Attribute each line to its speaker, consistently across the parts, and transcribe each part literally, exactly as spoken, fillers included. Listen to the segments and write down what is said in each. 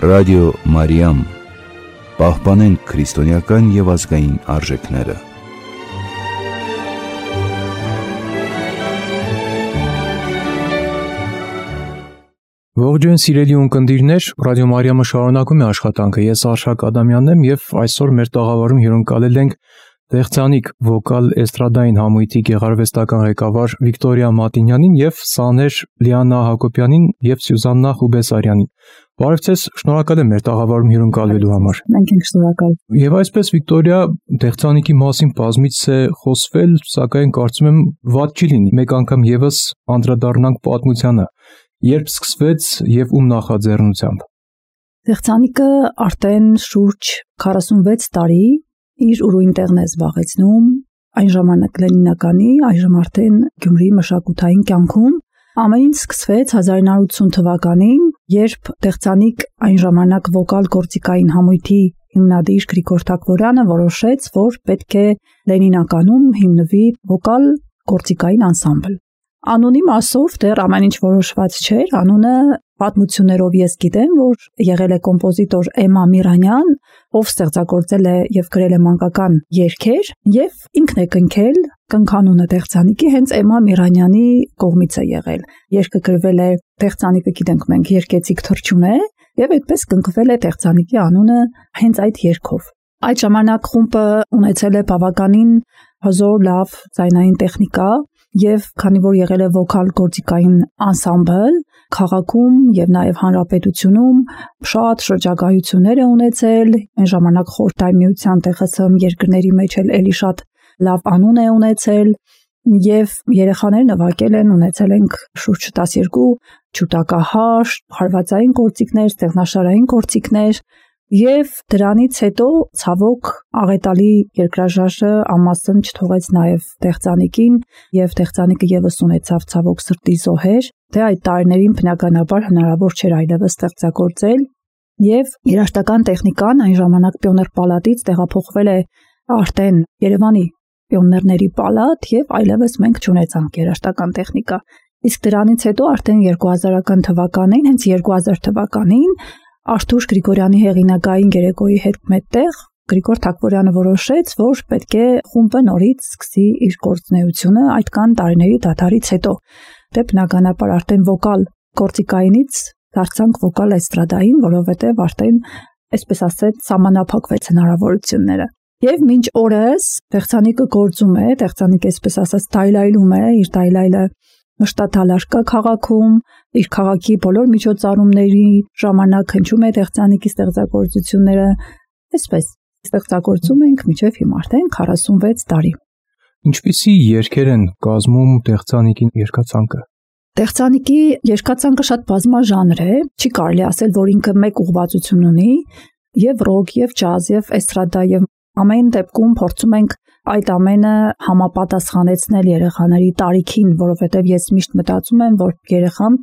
Speaker 1: Ռադիո Մարիամ, պահպանենք քրիստոնեական և ազգային արժեքները։
Speaker 2: Ողջույն սիրելի ունկնդիրներ, Ռադիո Մարիամը շարունակում է աշխատանքը։ Ես Արշակ Ադամյանն եմ և այսօր մեր տաղավարում հյուրընկալել ենք Տեղցանիկ վոկալ էստրադային համույթի գեղարվեստական ղեկավար Վիկտորիա Մատինյանին և սաներ Լիանա Հակոբյանին և Սյուզաննա Խուբեսարյանին։ Բարև ձեզ, շնորհակալ եմ մեր տաղավարում հյուրընկալվելու համար։
Speaker 3: Մենք ենք շնորհակալ։
Speaker 2: Եվ այսպես Վիկտորիա, Տեղցանիկի մասին բազմիցս է խոսվել, սակայն կարծում եմ վատ չի լինի մեկ անգամ ևս անդրադառնանք պատմությանը։ Երբ սկսվեց և ում նախաձեռնությամբ։
Speaker 3: Տեղցանիկը արդեն շուրջ քառասունվեց տարի իր ուրույն տեղն է զբաղեցնում այն ժամանակ Լենինականի, այժմ արդեն Գյումրիի մշակութային կյանքում։ Ամեն ինչ սկսվեց հազար ինը հարյուր ութ թվականին, երբ Տեղցանիկ այն ժամանակ վոկալ գործիքային համույթի հիմնադիր Գրիգոր Թակվորյանը որոշեց, որ պետք է Լենինականում հիմնվի վոկալ գործիքային անսամբլ։ Անունի մասով դեռ ամեն ինչ որոշված չէր, անունը պատմություններով ես գիտեմ, որ եղել է կոմպոզիտոր Էմմա Միրանյան, ով ստեղծագործել է և գրել է մանկական երգեր, և ինքն է կնքել կնքանունը Տեղցանիկի հենց Էմմա Միրանյանի կողմից է եղել։ Երգը գրվել է, Տեղցանիկը գիտենք մենք երկեցիկ թռչուն է, և այդպես կնքվել է Տեղցանիկի անունը հենց այդ երգով։ Այդ ժամանակ խումբը ունեցել է բավականին հզոր լավ ձայնային տեխնիկա, և քանի որ եղել է վոկալ գործիքային անսամբլ, քաղաքում և նաև հանրապետությունում շատ շրջագայություններ է ունեցել, այն ժամանակ Խորհրդային Միության Տե Խ Ս երկրների մեջ էլ էլի շատ լավ անուն է ունեցել, և երեխաներ նվագել են, ունեցել ենք շուրջ տասներկու ջութակահար, հարվածային գործիքներ, ստեղնաշարային գործիքներ, և դրանից հետո ցավոք աղետալի երկրաժարժը անմասն չթողեց նաև Տեղցանիկին, և Տեղցանիկը ևս ունեցավ ցավոք սրտի զոհեր, դե այդ տարիներին բնականաբար հնարավոր չէր այլևս ստեղծագործել, և երաժշտական տեխնիկան այն ժամանակ Պիոներ պալատից տեղափոխվել է արդեն Երևանի Պիոներների պալատ, և այլևս մենք չունեցանք երաժշտական տեխնիկա։ Իսկ դրանից հետո արդեն երկու հազարական թվականին, հենց երկու հազար թվականին Արթուր Գրիգորյանի հեղինակային երեկոյի հետ մեկտեղ Գրիգոր Թակվորյանը որոշեց, որ պետք է խումբը նորից սկսի իր գործունեությունը այդքան տարիների դադարից հետո։ Դե բնականաբար արդեն վոկալ գործիքայինից դարձանք վոկալ էստրադային, որովհետև արդեն, այսպես ասած, սահմանափակվեց հնարավորությունները։ Եվ մինչ օրս Տեղցանիկը գործում է, Տեղցանիկը այսպես ասած դայլայլում է, իր դայլայլը մշտադալար կա քաղաքում, իր քաղաքի բոլոր միջոցառումների ժամանակ հնչում է Տեղցանիկի ստեղծագործությունները, այսպես ստեղծագործում ենք մինչև հիմա արդեն քառասունվեց տարի։
Speaker 2: Ինչպիսի երգեր են կազմում Տեղցանիկի երգացանկը։
Speaker 3: Տեղցանիկի երգացանկը շատ բազմաժանր է, չի կարելի ասել, որ ինքը մեկ ուղղվածություն ունի, և ռոք, և ջազ, և էստրադա, և ամեն դեպքում փորձում ենք այդ ամենը համապատասխանեցնել երեխաների տարիքին, որովհետև ես միշտ մտածում եմ, որ երեխան,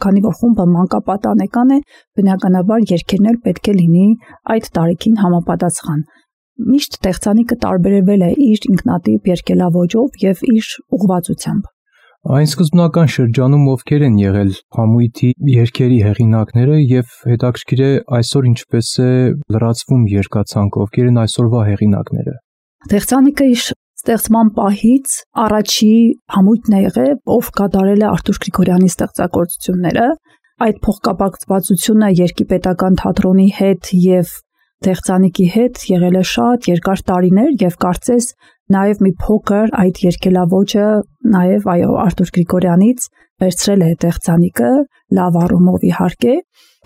Speaker 3: քանի որ խումբը մանկապատանեկան է, բնականաբար երգերն էլ պետք է լինի այդ տարիքին համապատասխան։ Միշտ Տեղցանիկը տարբերվել է իր ինքնատիպ երգելաոճով և իր ուղղվածությամբ։
Speaker 2: Այն սկզբնական շրջանում ովքեր են եղել համույթի երգերի հեղինակները և հետաքրքիր է այսօր ինչպես է լրացվում երգացանկը, ովքեր են այսօրվա հեղինակները։
Speaker 3: Տեղցանիկը իր ստեղծման պահից առաջի համույթն է եղել, ով կատարել է Արթուր Գրիգորյանի ստեղծագործությունները։ Այդ փոխկապակցվածությունը Երգի պետական թատրոնի հետ և Տեղցանիկի հետ եղել է շատ երկար տարիներ, և կարծես նաև մի փոքր այդ երգելաոճը նաև այո Արթուր Գրիգորյանից վերցրել է Տեղցանիկը, լավ առումով իհարկե,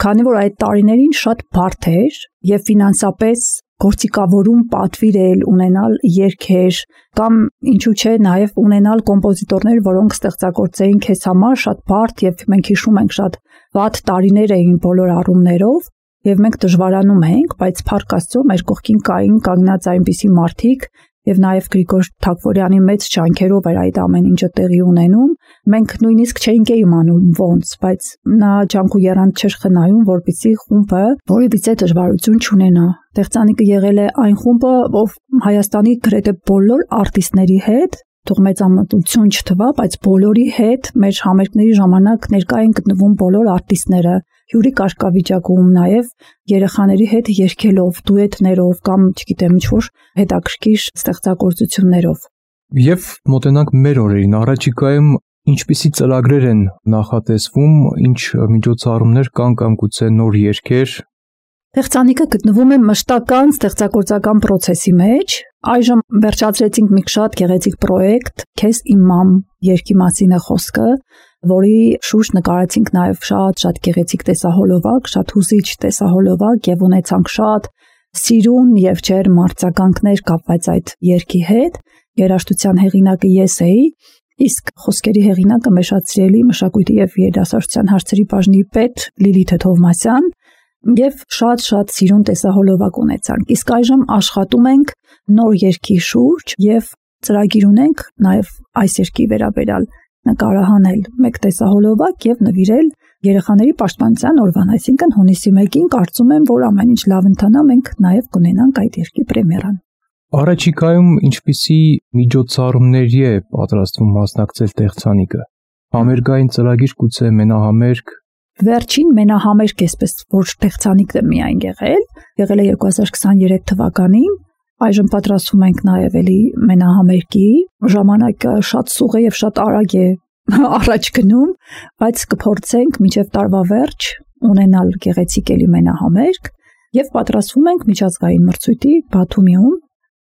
Speaker 3: քանի որ այդ տարիներին շատ բարդ էր և ֆինանսապես գործիքավորում պատվիրել, ունենալ երգեր կամ ինչու՞ չէ նաև ունենալ կոմպոզիտորներ, որոնք ստեղծագործեին քեզ համար, շատ բարդ, և մենք հիշում ենք շատ վատ տարիներ էին բոլոր առումներով, և մենք դժվարանում էինք, բայց փառք Աստծո մեր կողքին կային կանգնած այնպիսի մարդիկ, և նաև Գրիգոր Թակվորյանի մեծ ջանքերով էր այդ ամեն ինչը տեղի ունենում։ Մենք նույնիսկ չէինք իմանում ոնց, բայց նա ջանք ու եռանդ չէր խնայում, որպեսզի խումբը որևիցե դժվարություն չունենա։ Տեղցանիկը եղել է այն խումբը, ով Հայաստանի գրեթե բոլոր արտիստների հետ, թող մեծամտություն չթվա, բայց բոլորի հետ մեր համերգների ժամանակ ներկա են գտնվում բոլոր արտիստները, հյուրի կարգավիճակում, նաև երեխաների հետ երգելով, դուետներով կամ, չգիտեմ, ինչ-որ հետաքրքիր ստեղծագործություններով։
Speaker 2: Եվ մոտենանք մեր օրերին, առաջիկայում ինչպիսի ծրագրեր են նախատեսվում, ինչ միջոցառումներ կան կամ գուցե նոր երգեր։
Speaker 3: Տեխնիկը գտնվում է մշտական ստեղծագործական process-ի մեջ։ Այժմ վերջացրեցինք մի շատ գեղեցիկ պրոյեկտ, Քեզ իմ մամ երգի մասին է խոսքը, որի շուրջ նկարեցինք նաև շատ-շատ գեղեցիկ տեսահոլովակ, շատ հուզիչ տեսահոլովակ եւ ունեցանք շատ սիրուն եւ ջերմ արձագանքներ կապված այդ երգի հետ։ Երաժշտության հեղինակը ես էի, իսկ խոսքերի հեղինակը մեր շատ սիրելի մշակույթի եւ երիտասարդության հարցերի բաժնի պետ Լիլիթ Թովմասյան, եւ շատ-շատ սիրուն տեսահոլովակ ունեցանք։ Իսկ այժմ աշխատում ենք նոր երգի շուրջ եւ ծրագիր ունենք նաեւ այս երգի վերաբերյալ նկարահանել մեկ տեսահոլովակ եւ նվիրել երեխաների պաշտպանության օրվան, այսինքն հունիսի մեկին կարծում եմ, որ ամեն ինչ լավ ընթանա, մենք նաեւ կունենանք այդ երգի պրեմիերան։
Speaker 2: Առաջիկայում ինչպիսի միջոցառումների է պատրաստվում մասնակցել տեխնիկը։ Համերգային ծրագիր, գուցե մենահամերգ։
Speaker 3: Վերջին մենահամերգ էսպես որ տեխնիկն է միայն եղել, եղել է երկու հազար քսաներեք թվականին, այժմ պատրաստվում ենք նաև էլի մենահամերգի, ժամանակը շատ սուղ է եւ շատ արագ է առաջ գնում, բայց կփորձենք մինչև տարվա վերջ ունենալ գեղեցիկ էլի մենահամերգ եւ պատրաստվում ենք միջազգային մրցույթի Բաթումիում։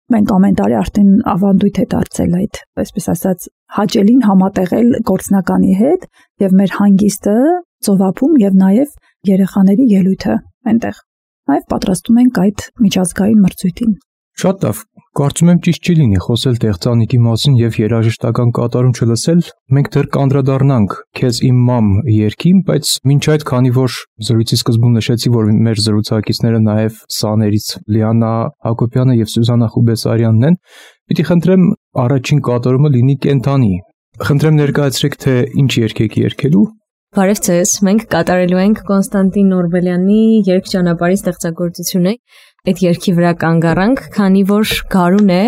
Speaker 3: Մենք ամեն տարի արդեն ավանդույթ է դարձել այդ, այսպես ասած, հաճելին համատեղել գործնականի հետ եւ մեր հանգիստը ծովափում եւ նաեւ երեխաների ելույթը այնտեղ։ Նաեւ պատրաստում ենք այդ միջազգային մրցույթին։
Speaker 2: Շատ լավ, կարծում եմ ճիշտ չի լինի խոսել տեխնիկի մասին եւ երաժշտական կատարում չլսել։ Մենք դեռ կանդրադառնանք Քեզ իմ մամ երգին, բայց մինչ այդ, քանի որ զրույցի սկզբում նշեցի, որ մեր զրուցակիցները նաեւ սաներից Լիանա Հակոբյանը եւ Սյուզանա Խուբեսարյանն են, պիտի խնդրեմ առաջին կատարումը լինի կենթանի։ Խնդրեմ ներկայացրեք, թե ինչ երգ եք երգելու։
Speaker 4: Բարև ձեզ, մենք կատարելու ենք Կոնստանտին Նորբելյանի երգչանապարհի ստեղծագործությունը։ Այդ երգի վրա կանգ առանք, քանի որ գարուն է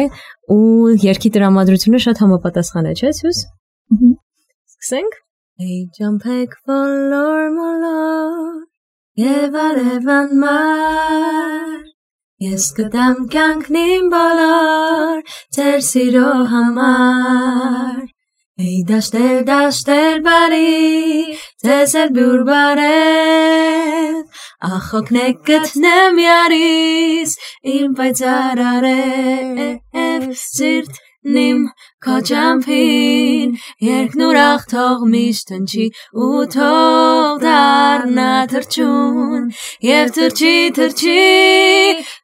Speaker 4: ու երգի տրամադրությունը շատ համապատասխան է, չէ՞, Սյուզ։ Սկսենք։ Hey ջամփեք բոլոր մոլոր եւ արևան մար, ես կտամ կյանքնին բոլոր ձեր սիրո համար։ Hey դաշտեր, դաշտեր բարի, ձեզ էլ բյուր բարև, ախոքնեք գտնեմ յարիս, իմ պայծառ արև, սիրտնիմ քո ջամփին, երգն ուրախ թող միշտ հնչի ու թող դառնա թրջուն, եւ թրջի, թրջի,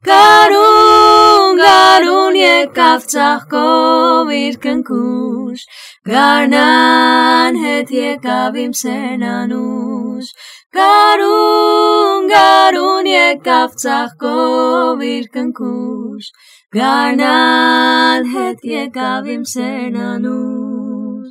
Speaker 4: գարուն, գարուն եկավ ծաղկով իր կնքուշ, գարնան հետ եկավ իմ սենանուշ, գարուն, գարուն եկավ ծաղկով իր կնքուշ, գարնան հետ եկավ իմ սենանուշ։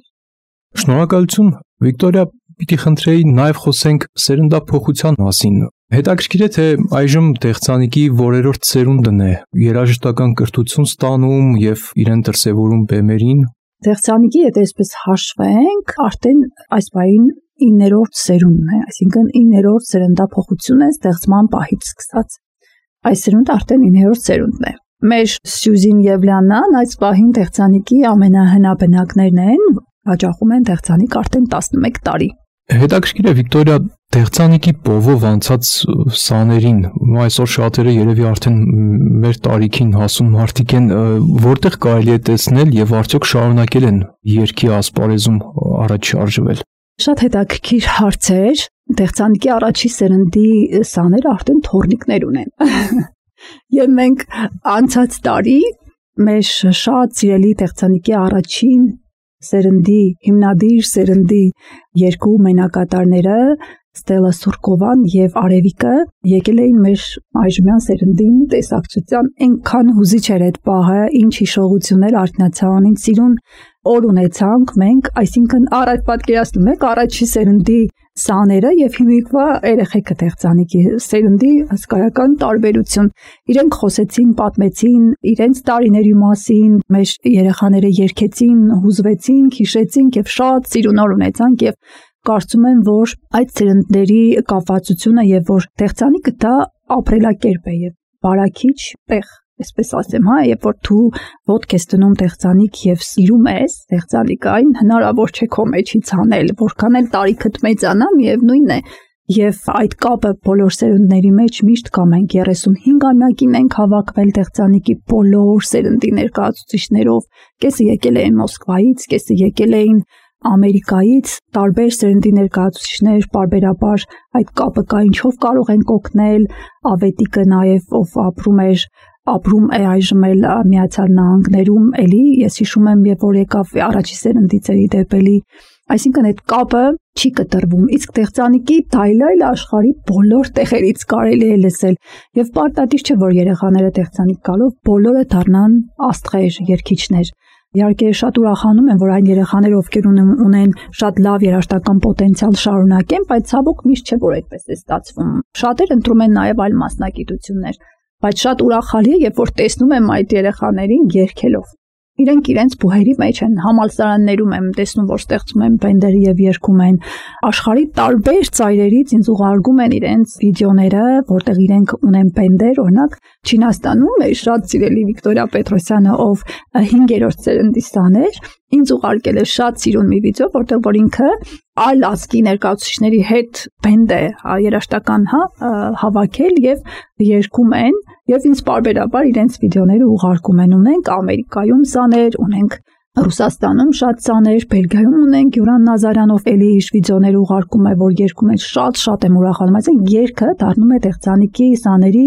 Speaker 2: Շնորհակալություն, Վիկտորիա, պիտի խնդրեի նաև խոսենք սերնդափոխության մասին։ Հետաքրքիր է, թե այժմ տեխնիկի որերորդ սերունդն է երաժշտական կրթություն ստանում եւ իրեն դրսեւորում բեմերին։
Speaker 3: Տեխնիկի հետ այսպես հաշվենք, արդեն այս բային իններորդ սերունդն է, այսինքն իններորդ սերնդափոխություն է ստեղծման պահից սկսած։ Այս սերունդը արդեն իններորդ սերունդն է։ Մեր Սյուզին եւ Լիանան այս պահին տեխնիկի ամենահնաբնակներն են, հաճախում են տեխնիկ արդեն տասնմեկ տարի։
Speaker 2: Հետաքրքիր է, Վիկտորիա, տեխնիկի պովով անցած սաներին, այսօր շատերը երևի արդեն մեր տարիքին հասուն մարդիկ են, որտեղ կարելի է տեսնել եւ արդյոք շարունակել են երգի ասպարեզում առաջ շարժվել։
Speaker 3: Շատ հետաքրքիր հարցեր, տեխնիկի առաջի սերնդի սաները արդեն թորնիկներ ունեն։ Եվ մենք անցած տարի մեր շատ սիրելի տեխնիկի առաջին սերնդի, հիմնադիր սերնդի երկու մենակատարները Ստելա Սուրկովան եւ Արևիկը եկել էին մեր այժմյան սերնդին տեսակցության, այնքան հուզիչ էր այդ պահը, ինչ հիշողություններ արթնացան, ինչ սիրուն օր ունեցանք մենք, այսինքն առայժմ պատկերացնում եք առաջի սերնդի սաները եւ հիմիկվա երեխեքը տեխնիկի սերնդի հսկայական տարբերություն։ Իրենք խոսեցին, պատմեցին իրենց տարիների մասին, մեր երեխաները երգեցին, հուզվեցին, հիշեցին եւ շատ սիրուն օր ունեցանք եւ կարծում եմ, որ այդ սերնդների կապվածությունը եւ որ տեխնիկը դա ապրելակերպ է եւ բարակիչ տեղ, այսպես ասեմ, հա, երբ որ դու ոտք ես դնում տեխնիկ եւ սիրում ես տեխնիկային, հնարավոր չէ քո մեջից անել, որքան էլ տարիքդ մեծանա, միևնույն է։ Եվ այդ կապը բոլոր սերունդների մեջ միշտ կա, մենք երեսունհինգամյակին ենք հավաքվել տեխնիկի բոլոր սերնդի ներկայացուցիչներով, կեսը եկել էին Մոսկվայից, կեսը եկել էին Ամերիկայից, տարբեր սերնդի ներկայացուցիչներ, պարբերաբար այդ կապը կա, ինչով կարող ենք օգնել, Ավետիկը նաև ով ապրում էր, ապրում է այժմ էլ Միացյալ Նահանգներում, էլի ես հիշում եմ, երբ որ եկավ առաջի սերնդից էլի դեպելի, այսինքն այդ կապը չի կտրվում, իսկ տեխնիկի դայլայլ աշխարհի բոլոր տեղերից կարելի է լսել, եւ պարտադիր չէ, որ երեխաները տեխնիկ գալով բոլորը դառնան աստղեր, երգիչներ։ Իհարկե շատ ուրախանում եմ, որ այն երեխաները, ովքեր ունեն շատ լավ երաժշտական պոտենցիալ շարունակեն, բայց ցավոք միշտ չէ, որ այդպես է ստացվում։ Շատեր ընտրում են նաև այլ մասնագիտություններ, բայց շատ ուրախալի է, երբ որ տեսնում եմ այդ երեխաներին երգելով։ Իրենք իրենց բուհերի մեջ են, համալսարաններում եմ տեսնում, որ ստեղծում են բենդերի եւ երգում են, աշխարհի տարբեր ծայրերից ինձ ուղարկում են իրենց վիդեոները, որտեղ իրենք ունեն բենդեր, օրինակ Չինաստանում է շատ սիրելի Վիկտորիա Պետրոսյանը, ով հինգերորդ սերնդի սան էր, ինձ ուղարկել է շատ սիրուն մի վիդեո, որտեղ որ ինքը այլ ազգի ներկայացուցիչների հետ բենդ է երաժշտական, հա, հավաքել եւ երգում են եւ ինձ պարբերաբար իրենց վիդեոները ուղարկում են, ունենք Ամերիկայում սաներ, ունենք Ռուսաստանում շատ սաներ, Բելգիայում ունենք Գյուրան Նազարյանով էլի իր վիդեոները ուղարկում է, որ երգում է, շատ-շատ եմ ուրախանում, այսինքն երգը դառնում է տեխնիկի սաների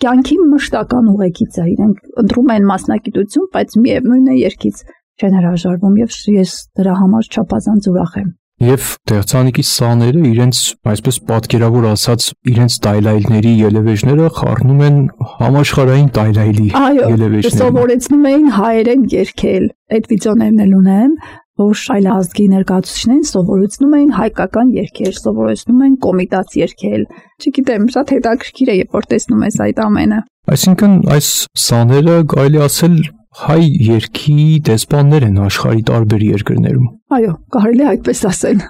Speaker 3: կյանքի մշտական ուղեկից է, իրենք ընտրում են մասնագիտություն, բայց միևնույն է երգից չեն հրաժարվում եւ ես դրա համար չափազանց ուրախ եմ։
Speaker 2: Եվ տեխնիկի սաները իրենց, այսպես պատկերավոր ասած, իրենց տայլայլների ելևէջները խառնում են համաշխարհային տայլայլի ելևէջները։ Այո,
Speaker 3: սովորեցնում էին հայերեն երգել։ Այդ վիդեոներն էլ ունեմ, որ այլ ազգի ներկայացուցիչներին սովորեցնում էին հայկական երգեր, սովորեցնում են կոմիտաց երգել։ Չգիտեմ, շատ հետաքրքիր է, երբ որ տեսնում ես այդ ամենը։
Speaker 2: Այսինքն այս սաները կարելի ասել հայ երգի դեսպաններ են աշխարհի տարբեր երկրներում։
Speaker 3: Այո, կարելի է այդպես ասել։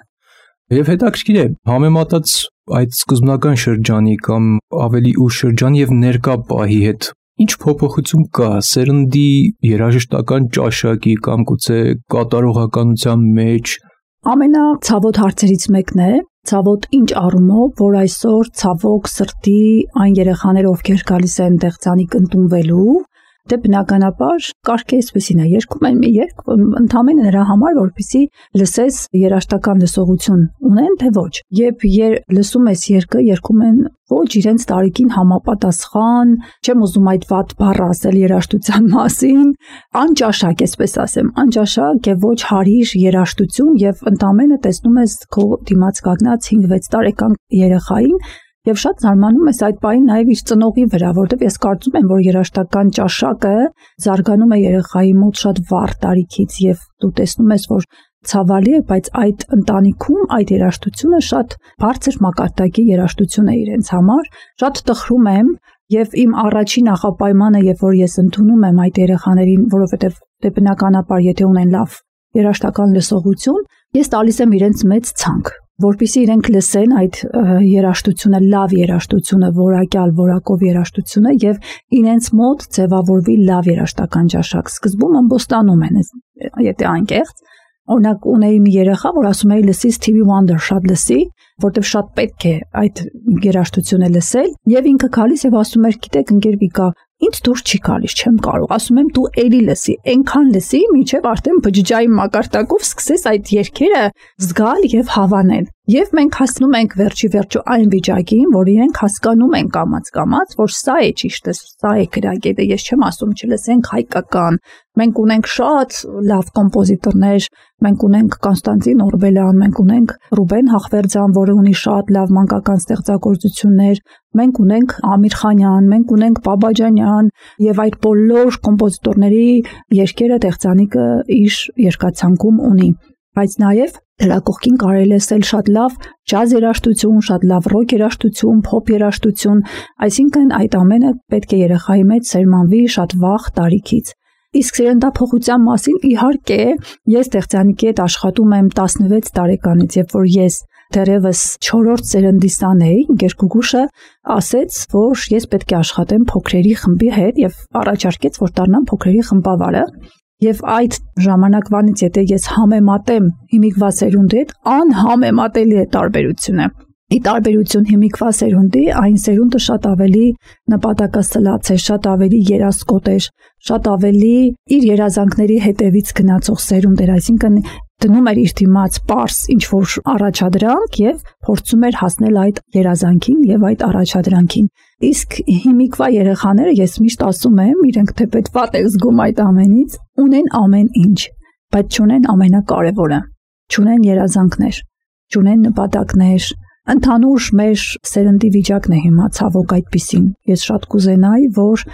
Speaker 2: Եվ հետաքրքիր է, համեմատած այդ սկզբնական շրջանի կամ ավելի ուշ շրջանի եւ ներկա պահի հետ, ինչ փոփոխություն կա սերնդի երաժշտական ճաշակի կամ գուցե կատարողականության մեջ։
Speaker 3: Ամենացավոտ հարցերից մեկն է, ցավոտ ինչ առումով, որ այսօր ցավոք սրտի այն երեխաները, ովքեր գալիս են տեխնիկ ընդունվելու, դե բնականաբար կարգը այսպեսին է, երգում են մի երգ, ընդամենը նրա համար, որպեսզի լսես երաժշտական լսողություն ունեն, թե ոչ։ Երբ լսում ես երգը, երգում են ոչ իրենց տարիքին համապատասխան, չեմ ուզում այդ վատ բառը ասել երաժշտության մասին, անճաշակ, այսպես ասեմ, անճաշակ եւ ոչ հարիր երաժշտություն եւ ընդամենը տեսնում ես քո դիմաց կանգնած հինգ-վեց տարեկան երեխային Եվ շատ զարմանում ես այդ պահին նաև իր ծնողի վրա, որտեղ ես կարծում եմ, որ երաժշտական ճաշակը զարգանում է երեխայի մոտ շատ վառ տարիքից եւ դու տեսնում ես, որ ցավալի է, բայց այդ ընտանիքում այդ երաժշտությունը շատ բարձր մակարդակի երաժշտություն է իրենց համար, շատ տխրում եմ եւ իմ առաջին նախապայմանը, երբ որ ես ընդունում եմ այդ երեխաներին, որովհետեւ դե բնականաբար եթե ունեն լավ երաժշտական լսողություն, ես տալիս եմ իրենց մեծ ցանկ որպեսզի իրենք լսեն այդ երաժշտությունը, լավ երաժշտությունը, որակյալ, որակով երաժշտությունը եւ իրենց մոտ ձևավորվի լավ երաժշտական ճաշակ։ Սկզբում ամբոստանում են, եթե անկեղծ, օրինակ ունեի մի երեխա, որ ասում էի լսի Stevie Wonder, շատ լսի, որտեվ շատ պետք է այդ երաժշտությունը լսել, եւ ինքը գալիս եւ ասում էր, գիտեք, ընկեր Վիկա, ինձ դուր չի գալիս, չեմ կարող, ասում եմ դու էլի լսի, այնքան լսի, մինչև արդեն բջջայի մակարդակով սկսես այդ երգերը զգալ եւ հավանել։ Եվ մենք հասնում ենք վերջի վերջո այն վիճակին, որ իրենք հասկանում են կամաց-կամաց, որ սա է ճիշտը, սա է գրագետը, ես չեմ ասում չլսենք հայկական։ Մենք ունենք շատ լավ կոմպոզիտորներ, մենք ունենք Կոնստանտին Օրբելյան, մենք ունենք Ռուբեն Հախվերդյան, որը ունի շատ լավ մանկական ստեղծագործություններ, մենք ունենք Ամիր Խանյան, մենք ունենք Բաբաջանյան եւ այդ բոլոր կոմպոզիտորների երգերը տեխնիկը իր երկացանկում ունի, բայց նաեւ դրա կողքին կարելի է լսել շատ լավ ջազ երաժշտություն, շատ լավ ռոք երաժշտություն, փոփ երաժշտություն, այսինքն այդ ամենը պետք է երեխայի մեջ սերմանվի շատ վաղ տարիքից։ Իսկ սերնդափոխության մասին իհարկե ես Տեղծյանիկի հետ աշխատում եմ տասնվեց տարեկանից, երբ որ ես դեռևս չորրորդ սերնդի սան էի, ինքեր Գուգուշը ասեց, որ ես պետք է աշխատեմ փոքրերի խմբի հետ եւ առաջարկեց, որ դառնամ փոքրերի խմբավարը։ Եվ այդ ժամանակվանից եթե ես համեմատեմ հիմիկվա սերունդի հետ, անհամեմատելի է տարբերությունը։ Ի տարբերություն հիմիկվա սերունդի, այն սերունդը շատ ավելի նպատակասլաց է, շատ ավելի երասկոտ է, շատ ավելի իր երազանքների հետևից գնացող սերունդ էր, այսինքն դնում էր իր դիմաց պարզ ինչ-որ առաջադրանք եւ փորձում էր հասնել այդ երազանքին եւ այդ առաջադրանքին։ Իսկ հիմիկվա երեխաները, ես միշտ ասում եմ, իրենք թեպետ վատ են զգում այդ ամենից, ունեն ամեն ինչ, բայց չունեն ամենակարևորը, չունեն երազանքներ, չունեն նպատակներ։ Ընդհանուր մեր սերնդի վիճակն է հիմա ցավոք այդպիսին։ Ես շատ կուզենայի, որ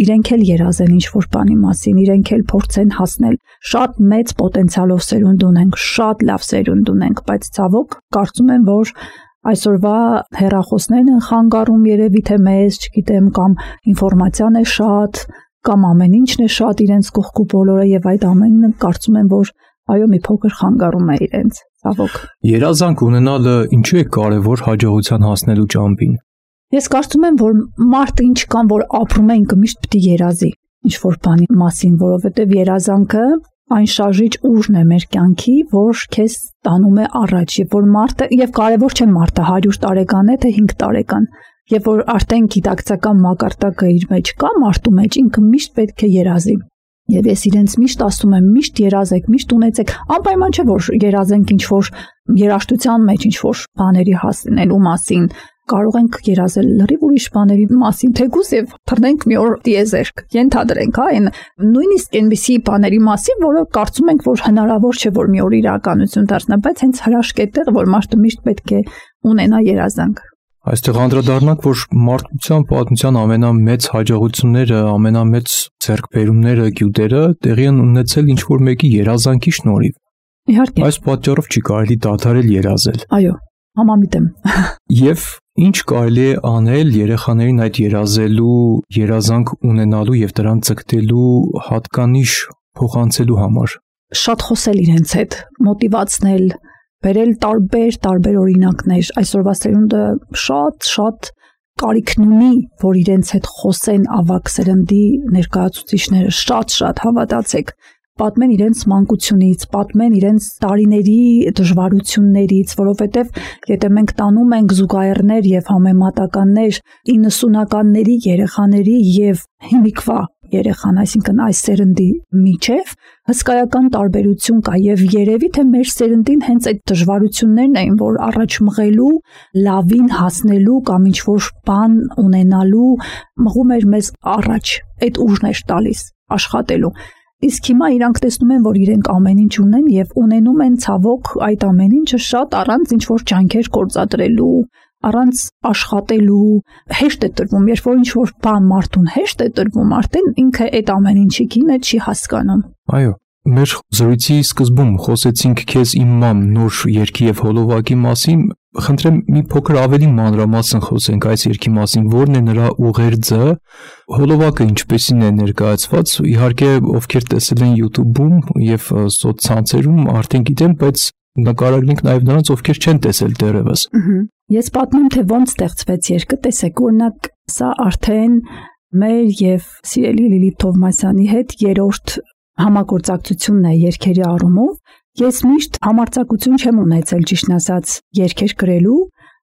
Speaker 3: իրենք էլ երազեն ինչ-որ բանի մասին, իրենք էլ փորձեն հասնել։ Շատ մեծ պոտենցիալով սերունդ ունենք, շատ լավ սերունդ ունենք, բայց ցավոք կարծում եմ, որ այսօրվա հեռախոսներն են խանգարում երևի թե մեզ, չգիտեմ, կամ ինֆորմացիան է շատ, կամ ամեն ինչն է շատ իրենց կողքու բոլորը եւ այդ ամենը կարծում եմ, որ այո, մի փոքր խանգարում է իրենց, ցավոք։
Speaker 2: Երազանք ունենալը ինչու է կարևոր հաջողության հասնելու ճամփին։
Speaker 3: Ես կարծում եմ, որ մարդը ինչ կան, որ ապրում է, ինքը միշտ պետք է երազի ինչ-որ բանի մասին, որովհետև երազանքը այն շարժիչ ուժն է մեր կյանքի, որ քեզ տանում է առաջ, եւ որ մարդը եւ կարևոր չէ մարդը հարյուր տարեկան է թե հինգ տարեկան, եւ որ արդեն գիտակցական մակարդակը իր մեջ կա, մարդու մեջ ինքը միշտ պետք է երազի։ Եվ ես իրենց միշտ ասում եմ, միշտ երազեք, միշտ ունեցեք, անպայման չէ որ երազենք ինչ-որ երաժշտության մեջ ինչ-որ բաների հասնելու մասին, կարող ենք երազել լրիվ ուրիշ բաների մասին, թեկուզ եւ թռնենք մի օր դիեզերք, ենթադրենք, հա, այն նույնիսկ այնպիսի բաների մասին, որը կարծում ենք, որ հնարավոր չէ որ մի օր իրականություն դառնա, բայց հենց հրաշք է տեղ, որ մարդը միշտ պետք է ունենա երազանք։
Speaker 2: Այստեղ անդրադառնանք, որ մարդկության պատմության ամենամեծ հաջողությունները, ամենամեծ ձեռքբերումները, գյուտերը տեղի են ունեցել ինչ-որ մեկի երազանքի շնորհիվ։
Speaker 3: Իհարկե։
Speaker 2: Այս պատճառով չի կարելի դադարել երազել։
Speaker 3: Այո, համամիտ եմ։
Speaker 2: Եվ ինչ կարելի է անել երեխաներին այդ երազելու, երազանք ունենալու եւ դրան ձգտելու հատկանիշ փոխանցելու համար։
Speaker 3: Շատ խոսել իրենց հետ, մոտիվացնել, բերել տարբեր տարբեր օրինակներ, այսօրվա սերունդը շատ-շատ կարիքն ունի, որ իրենց հետ խոսեն ավագ սերնդի ներկայացուցիչները, շատ-շատ հավատացեք, պատմեն իրենց մանկությունից, պատմեն իրենց տարիների դժվարություններից, որովհետև եթե մենք տանում ենք զուգահեռներ եւ համեմատականներ իննսունականների երեխաների եւ հիմիկվա երեխան, այսինքն այս սերնդի միջև հսկայական տարբերություն կա եւ երևի թե մեր սերնդին հենց այդ դժվարություններն էին, որ առաջ մղելու, լավին հասնելու կամ ինչ-որ բան ունենալու մղում էր մեզ առաջ, այդ ուժն էր տալիս աշխատելու։ Իսկ հիմա իրանք տեսնում են, որ իրենք ամեն ինչ ունեն եւ ունենում են ցավոք այդ ամեն ինչը շատ առանց ինչ-որ ջանքեր գործադրելու, առանց աշխատելու, հեշտ է տրվում, երբ որ ինչ-որ բան մարդուն հեշտ է տրվում, արդեն ինքը այդ ամեն ինչի գինը չի հասկանում։
Speaker 2: Այո, մեր զրույցի սկզբում խոսեցինք քեզ իմ մամ նոր երգի եւ հոլովակի մասին, խնդրեմ մի փոքր ավելի մանրամասն խոսենք այս երգի մասին, որն է նրա ուղերձը, հոլովակը ինչպեսին է ներկայացված, իհարկե ովքեր տեսել են YouTube-ում եւ սոցցանցերում արդեն գիտեն, բայց նկարագրենք նաև նրանց, ովքեր չեն տեսել դեռևս։
Speaker 3: Ես պատմեմ, թե ոնց ստեղծվեց երգը, տեսեք, օրինակ, սա արդեն մեր եւ սիրելի Լիլիթ Թովմասյանի հետ երրորդ համագործակցությունն է երգերի առումով։ Ես միշտ համարձակություն չեմ ունեցել, ճիշտն ասած, երգեր գրելու,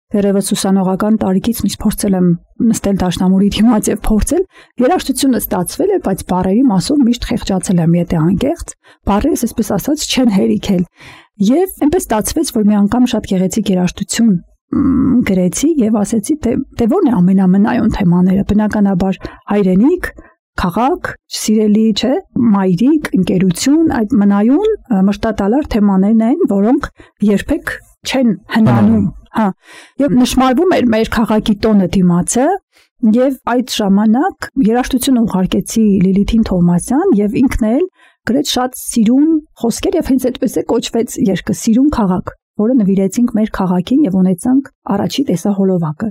Speaker 3: դեռևս ուսանողական տարիքից միշտ փորձել եմ նստել դաշնամուրի դիմաց եւ փորձել, երաժշտությունը ստացվել է, բայց բառերի մասով միշտ խեղճացել եմ, եթե անկեղծ, բառերս այսպես ասած չեն հերիքել։ Եվ այնպես ստացվեց, որ մի անգամ շատ գեղեցիկ երաժշտություն գրեցի եւ ասեցի, թե դե ո՞րն է ամենամնայուն թեմաները, բնականաբար հայրենիք, քաղաք, սիրելի, չէ, մայրիկ, ընկերություն, այդ մնայուն մշտատալար թեմաներն են, որոնք երբեք չեն հնանում, հա։ Եվ նշмарվում էր մեր քաղաքի տոնը դիմացը, եւ այդ ժամանակ երաժշտությունը ուղարկեցի Լիլիթին Թովմասյան եւ ինքն էլ գրեց շատ սիրուն խոսքեր եւ հենց այդպես է կոչվեց երգը Սիրուն քաղաք, որը նվիրեցինք մեր քաղաքին եւ ունեցանք առաջի տեսահոլովակը։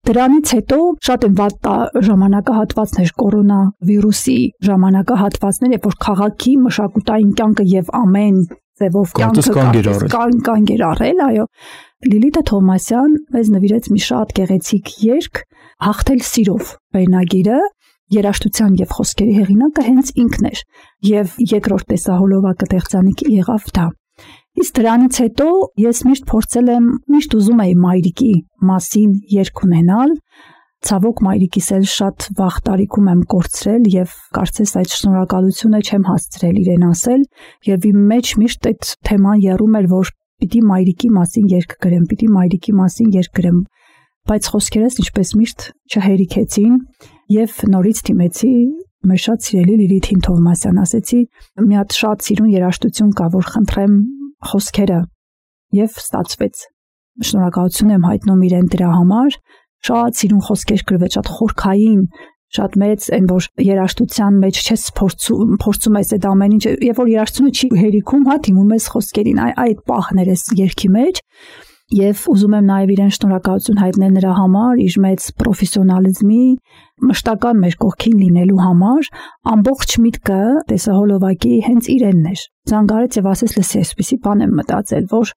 Speaker 3: Դրանից հետո շատ են վատ ժամանակահատվածներ, կորոնավիրուսի ժամանակահատվածներ, երբ որ քաղաքի մշակութային կյանքը եւ ամեն ձևով կյանքը կանգ էր առել, այո։ Լիլիթ Թովմասյան մեզ նվիրեց մի շատ գեղեցիկ երգ «Հաղթել սիրով» վերնագիրը, երաժշտության եւ խոսքերի հեղինակը հենց ինքն էր, եւ երկրորդ տեսահոլովակը Տեղծանիկի եղավ դա։ Իսկ դրանից հետո ես միշտ փորձել եմ, միշտ ուզում էի մայրիկի մասին երգ ունենալ, ցավոք մայրիկիս էլ շատ վաղ տարիքում եմ կորցրել եւ կարծես այդ շնորհակալությունը չեմ հասցրել իրեն ասել, եւ իմ մեջ միշտ այդ թեման եռում էր, որ պիտի մայրիկի մասին երգ գրեմ, պիտի մայրիկի մասին երգ գրեմ, բայց խոսքերս ինչպես միշտ չհերիքեցին եւ նորից դիմեցի մեր շատ սիրելի Լիլիթին Թովմասյան, ասեցի մի հատ շատ սիրուն երաժշտություն կա, որ խնդրեմ խոսքերը, եւ ստացվեց։ Շնորհակալություն եմ հայտնում իրեն դրա համար, շատ սիրուն խոսքեր գրվեց, շատ խորքային, շատ մեծ, այն որ երաժշտության մեջ չես փորձում, փորձում ես այդ ամեն ինչ, երբ որ երաժշտությունը չի հերիքում, հա, դիմում ես խոսքերին, այդ պահներ ես երգի մեջ, եւ ուզում եմ նաեւ իրեն շնորհակալություն հայտնել նրա համար, իր մեծ պրոֆեսիոնալիզմի, մշտական մեր կողքին լինելու համար, ամբողջ միտքը տեսահոլովակի հենց իրենն էր։ Զանգարեց եւ ասեց, լսի, այսպեսի բան եմ մտածել, որ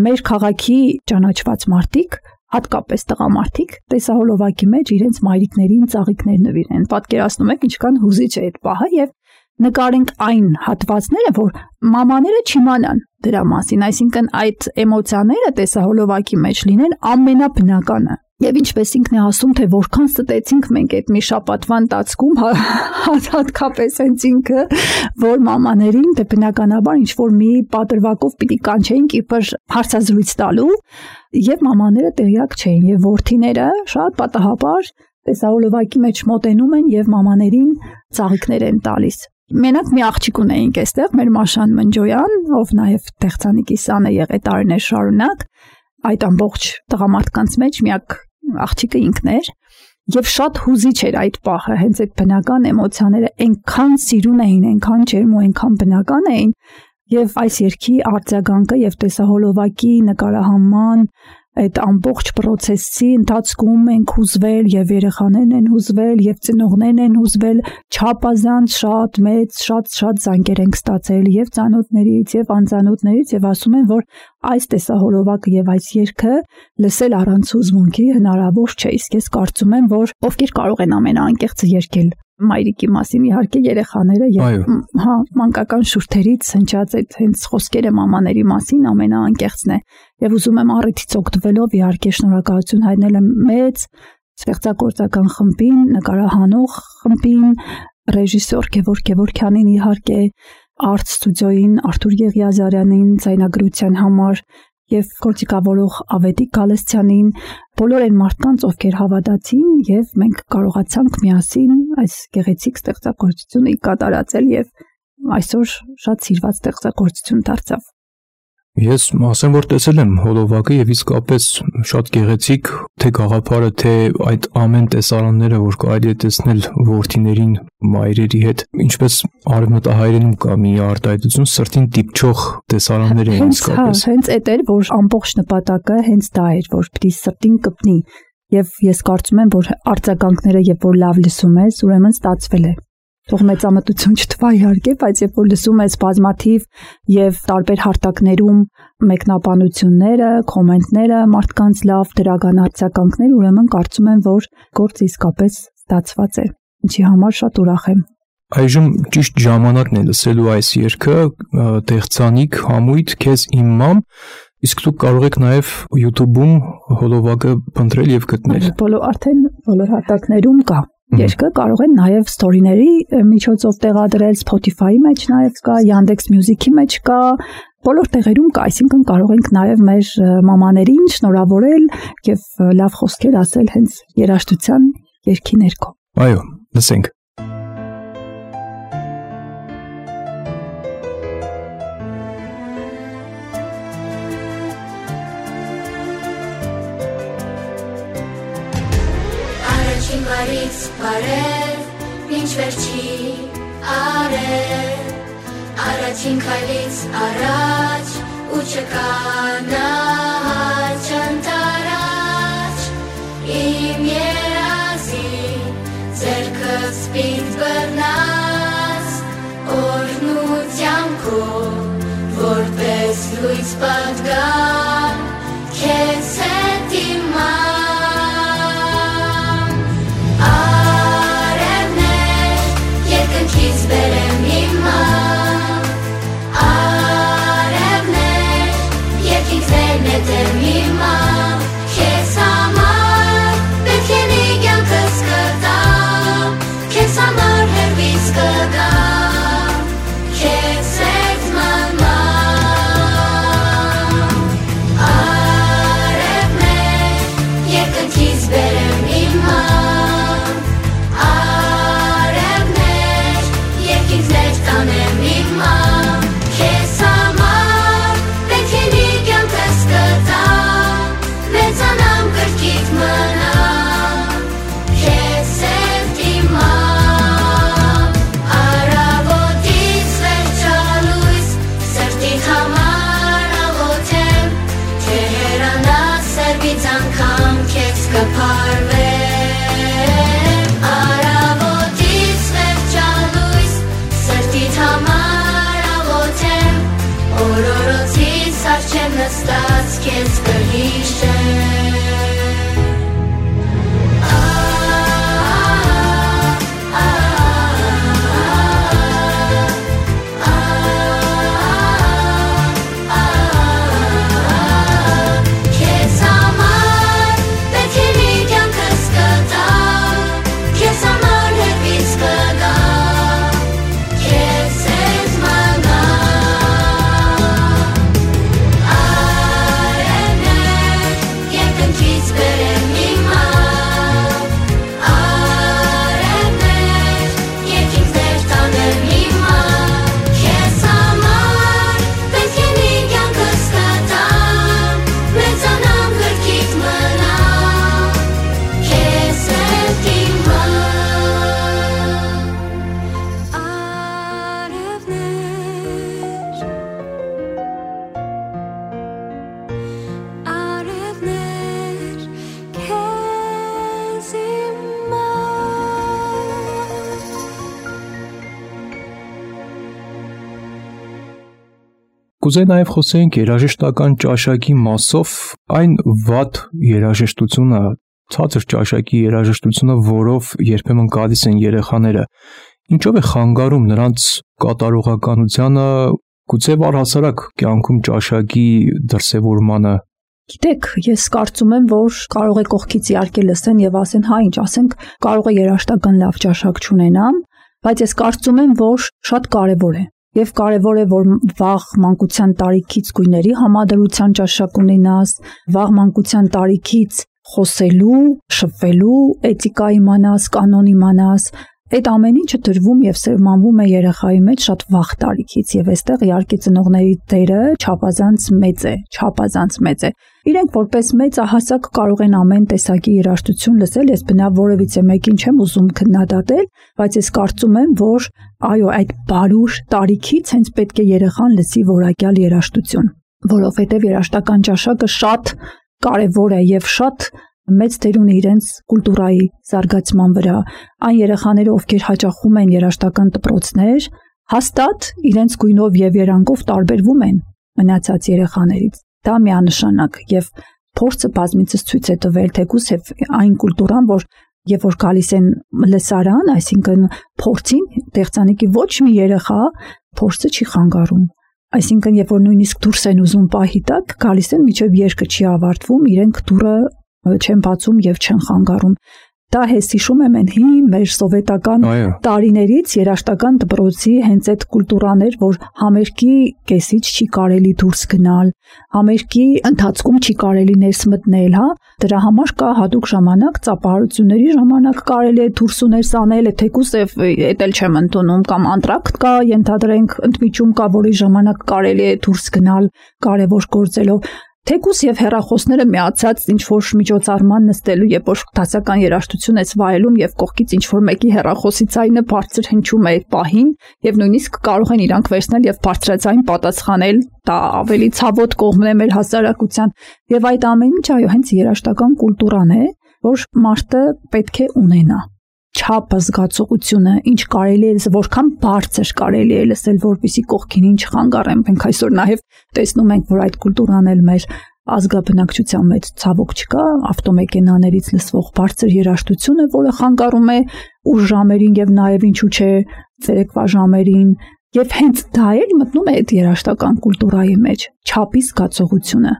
Speaker 3: մեր քաղաքի ճանաչված մարդիկ, հատկապես տղամարդիկ, տեսահոլովակի մեջ իրենց մայրիկներին ծաղիկներ նվիրեն։ Պատկերացնում եք ինչքան հուզիչ է այդ պահը եւ նկարենք այն հատվածները, որ մամաները չիմանան դրա մասին, այսինքն այդ էմոցիաները տեսահոլովակի մեջ լինեն ամենաբնականը։ Եվ ինչպես ինքն է ասում, թե որքան ստեցինք մենք այդ մի շաբաթվա ընթացքում, հատկապես հենց ինքը, որ մամաներին դե բնականաբար ինչ որ մի պատրվակով պիտի կանչեինք իբր հարցազրույց տալու, եւ մամաները տեղյակ չէին, եւ որդիները շատ պատահաբար տեսահոլովակի մեջ մոտենում են եւ մամաներին ծաղիկներ են տալիս։ Մենակ մի աղջիկ ունեինք այստեղ, մեր Մաշան Մնջոյան, ով նաեւ Տեղծանիկի սանը եղել տարիներ շարունակ, այդ ամբողջ տղամարդկանց մեջ միակ աղջիկը ինքն էր, եւ շատ հուզիչ էր այդ պահը, հենց այդ բնական էմոցիաները այնքան սիրուն էին, այնքան ջերմ ու այնքան բնական էին, եւ այս երգի արձագանքը եւ տեսահոլովակի նկարահանման այդ ամբողջ process-ի ընթացքում ենք հուզվել եւ երեխաներն են հուզվել եւ ծնողներն են հուզվել, չափազանց շատ մեծ, շատ շատ զանգեր ենք ստացել եւ ծանոթներից եւ անծանոթներից եւ ասում են, որ այս տեսահոլովակը եւ այս երգը լսել առանց հուզմունքի հնարավոր չէ, իսկ ես կարծում եմ, որ ովքեր կարող են ամենաանկեղծը երգել մայրիկի մասին, իհարկե երեխաները եւ հա մանկական շուրթերից հնչած այդ հենց խոսքերը մամաների մասին ամենաանկեղծն է եւ ուզում եմ առիթից օգտվելով իհարկե շնորհակալություն հայտնել եմ մեծ ստեղծագործական խմբին, նկարահանող խմբին, ռեժիսոր Գևորգ Գևորգյանին իհարկե, արտ ստուդիոյին, Արթուր Եղիազարյանին ձայնագրության համար եւ գործիքավորող Ավետիք Գալստյանին, բոլոր այն մարդկանց, ովքեր հավատացին եւ մենք կարողացանք միասին այս գեղեցիկ ստեղծագործությունը կատարածել եւ այսօր շատ սիրված ստեղծագործություն դարձավ։
Speaker 2: Ես ասեմ, որ տեսել եմ հոլովակը եւ իսկապես շատ գեղեցիկ, թե գաղափարը, թե այդ ամեն տեսարանները, որ կարելի է տեսնել որդիներին, մայրերի հետ, ինչպես արևմտահայերենում կա մի արտահայտություն, սրտին դիպչող տեսարաններ են իսկապես։
Speaker 3: Հենց այդ էր, որ ամբողջ նպատակը հենց դա էր, որ պիտի սրտին կպնի եւ ես կարծում եմ, որ արձագանքները, երբ որ լավ լսում ես, ուրեմն ստացվել է։ Թող մեծամտություն չթվա իհարկե, բայց երբ որ լսում ես բազմաթիվ եւ տարբեր հարթակներում մեկնաբանությունները, կոմենտները, մարդկանց լավ դրական արձագանքներ, ուրեմն կարծում եմ, որ գործը իսկապես ստացված է, ինչի համար շատ ուրախ եմ։
Speaker 2: Այժմ ճիշտ ժամանակն է լսելու այս երգը, Տեղծանիկ, համույթ, քեզ իմ մամ, իսկ դուք կարող եք նաեւ YouTube-ում հոլովակը փնտրել եւ գտնել։
Speaker 3: Բոլոր արդեն բոլոր հարթակներում կա։ Երգը կարող են նաև ստորիների միջոցով տեղադրել, Spotify-ի մեջ նաև կա, Yandex Music-ի մեջ կա, բոլոր տեղերում կա, այսինքն կարող ենք նաև մեր մամաներին շնորհավորել եւ լավ խոսքեր ասել հենց երաժշտության երգի ներքո։
Speaker 2: Այո, լսենք։
Speaker 4: Բարև, ինչ վերջի արև, առաջին քայլից առաջ ու չկանաչ անտարաչ, իմ լույս պատգամ, քեզ հետ իմամ, արևներ, երկնքից բերեմ հիմա, արևներ, երկինքներ նետեմ հիմա, քեզ համար պետք է մի կյանքս կտամ, քեզ համար հերվից կգամ, քեզ հետ մնամ, արևներ, երկնքից բերեմ հիմա, արևներ, երկինքներ տանեմ հիմա, քեզ համար պետք է մի կյանքս կտամ, մեծանամ կրկիտ մնամ, քեզ հետ իմամ, առավոտից վերջալույս, սրտիդ համար աղոթեմ, թե հեռանաս սերվից անգամ քեզ կփարվեմ, առավոտից վերջալույս, սրտիդ համար աղոթեմ, օրորոցից առջև նստած քեզ կհիշեմ, քեզ համար պետք է մի կյանքս կտամ, քեզ համար հերվից կգամ, քեզ հետ մնամ, արևներ, երկնքից բերեմ հիմա, արևներ, երկինքներ տանեմ հիմա, քեզ համար պետք է մի կյանքս կտամ, մեծանամ կրկիտ մնամ, քեզ հետ իմամ, արևներ, քեզ
Speaker 2: Կուզեի նաև խոսենք երաժշտական ճաշակի մասով այն վատ երաժշտությունը, ցածր ճաշակի երաժշտությունը, որով երբեմն գալիս են երեխաները, ինչով է խանգարում նրանց կատարողականությանը, գուցե առհասարակ կյանքում ճաշակի դրսևորմանը։
Speaker 3: Գիտեք, ես կարծում եմ, որ կարող է կողքից իհարկե լսեն եւ ասեն, հա ինչ ասենք, կարող է երաժշտական լավ ճաշակ չունենամ, բայց ես կարծում եմ, որ շատ կարեւոր է։ Եվ կարևոր է, որ վաղ մանկության տարիքից գույների համադրության ճաշակ ունենաս, վաղ մանկության տարիքից խոսելու, շփվելու էթիկա իմանաս, կանոն իմանաս, այդ ամեն ինչը դրվում եւ սերմանվում է երեխայի մեջ շատ վաղ տարիքից եւ այստեղ իհարկե ծնողների դերը չափազանց մեծ է, չափազանց մեծ է։ Իրենք որպես մեծահասակ կարող են ամեն տեսակի երաժշտություն լսել, ես բնավ որևիցե մեկին չեմ ուզում քննադատել, բայց ես կարծում եմ, որ այո, այդ բարուր տարիքից հենց պետք է երեխան լսի որակյալ երաժշտություն, որովհետեւ երաժշտական ճաշակը շատ կարևոր է եւ շատ մեծ դեր ունի իրենց կուլտուրայի զարգացման վրա։ Այն երեխաները, ովքեր հաճախում են երաժշտական դպրոցներ, հաստատ իրենց գույնով եւ երանգով տարբերվում են մնացած երեխաներից։ Դա միանշանակ եւ փորձը բազմիցս ցույց է տվել, թեկուզ եւ այն կուլտուրան, որ երբ որ գալիս են լսարան, այսինքն փորձին, տեխնիկի ոչ մի երեխա փորձը չի խանգարում։ Այսինքն երբ որ նույնիսկ դուրս են ուզում պահի տակ, գալիս են միջև երկը չի ավարտվում, իրենք դուրը չեն բացում եւ չեն խանգարում։ Դա հես հիշում եմ են հին մեր սովետական տարիներից երաժշտական դպրոցի հենց այդ կուլտուրաներ, որ համերգի կեսից չի կարելի դուրս գնալ, համերգի ընթացքում չի կարելի ներս մտնել, հա, դրա համար կա հատուկ ժամանակ, ծափահարությունների ժամանակ կարելի է դուրս ու ներս անել, թեկուզ եւ էդ էլ չեմ ընդունում, կամ անտրակտ կա, ենթադրենք ընդմիջում կա, որի ժամանակ կարելի է դուրս գնալ կարևոր գործելով։ Թեկուզ եւ հեռախոսները միացած ինչ որ միջոցառման նստելու, երբ որ դասական երաժշտություն ես վայելում եւ կողքից ինչ որ մեկի հեռախոսի ցայնը բարձր հնչում է այդ պահին եւ նույնիսկ կարող են իրանք վերցնել եւ բարձրացային պատասխանել, դա ավելի ցավոտ կողմն է մեր հասարակության եւ այդ ամեն ինչ այո հենց երաժշտական կուլտուրան է, որ մարդը պետք է ունենա։ չափը, զգացողությունը, ինչ կարելի է լսել, որքան բարձր կարելի է լսել, որպեսզի կողքին ինչ խանգարեմ։ Մենք այսօր նաև տեսնում ենք, որ այդ կուլտուրան էլ մեր ազգաբնակչության մեջ ցավոք չկա, ավտոմեքենաներից լսվող բարձր երաժշտությունը, որը խանգարում է ուշ ժամերին եւ նաեւ ինչու՞ չէ ցերեկվա ժամերին, եւ հենց դա էլ մտնում է այդ երաժշտական կուլտուրայի մեջ, չափի զգացողությունը,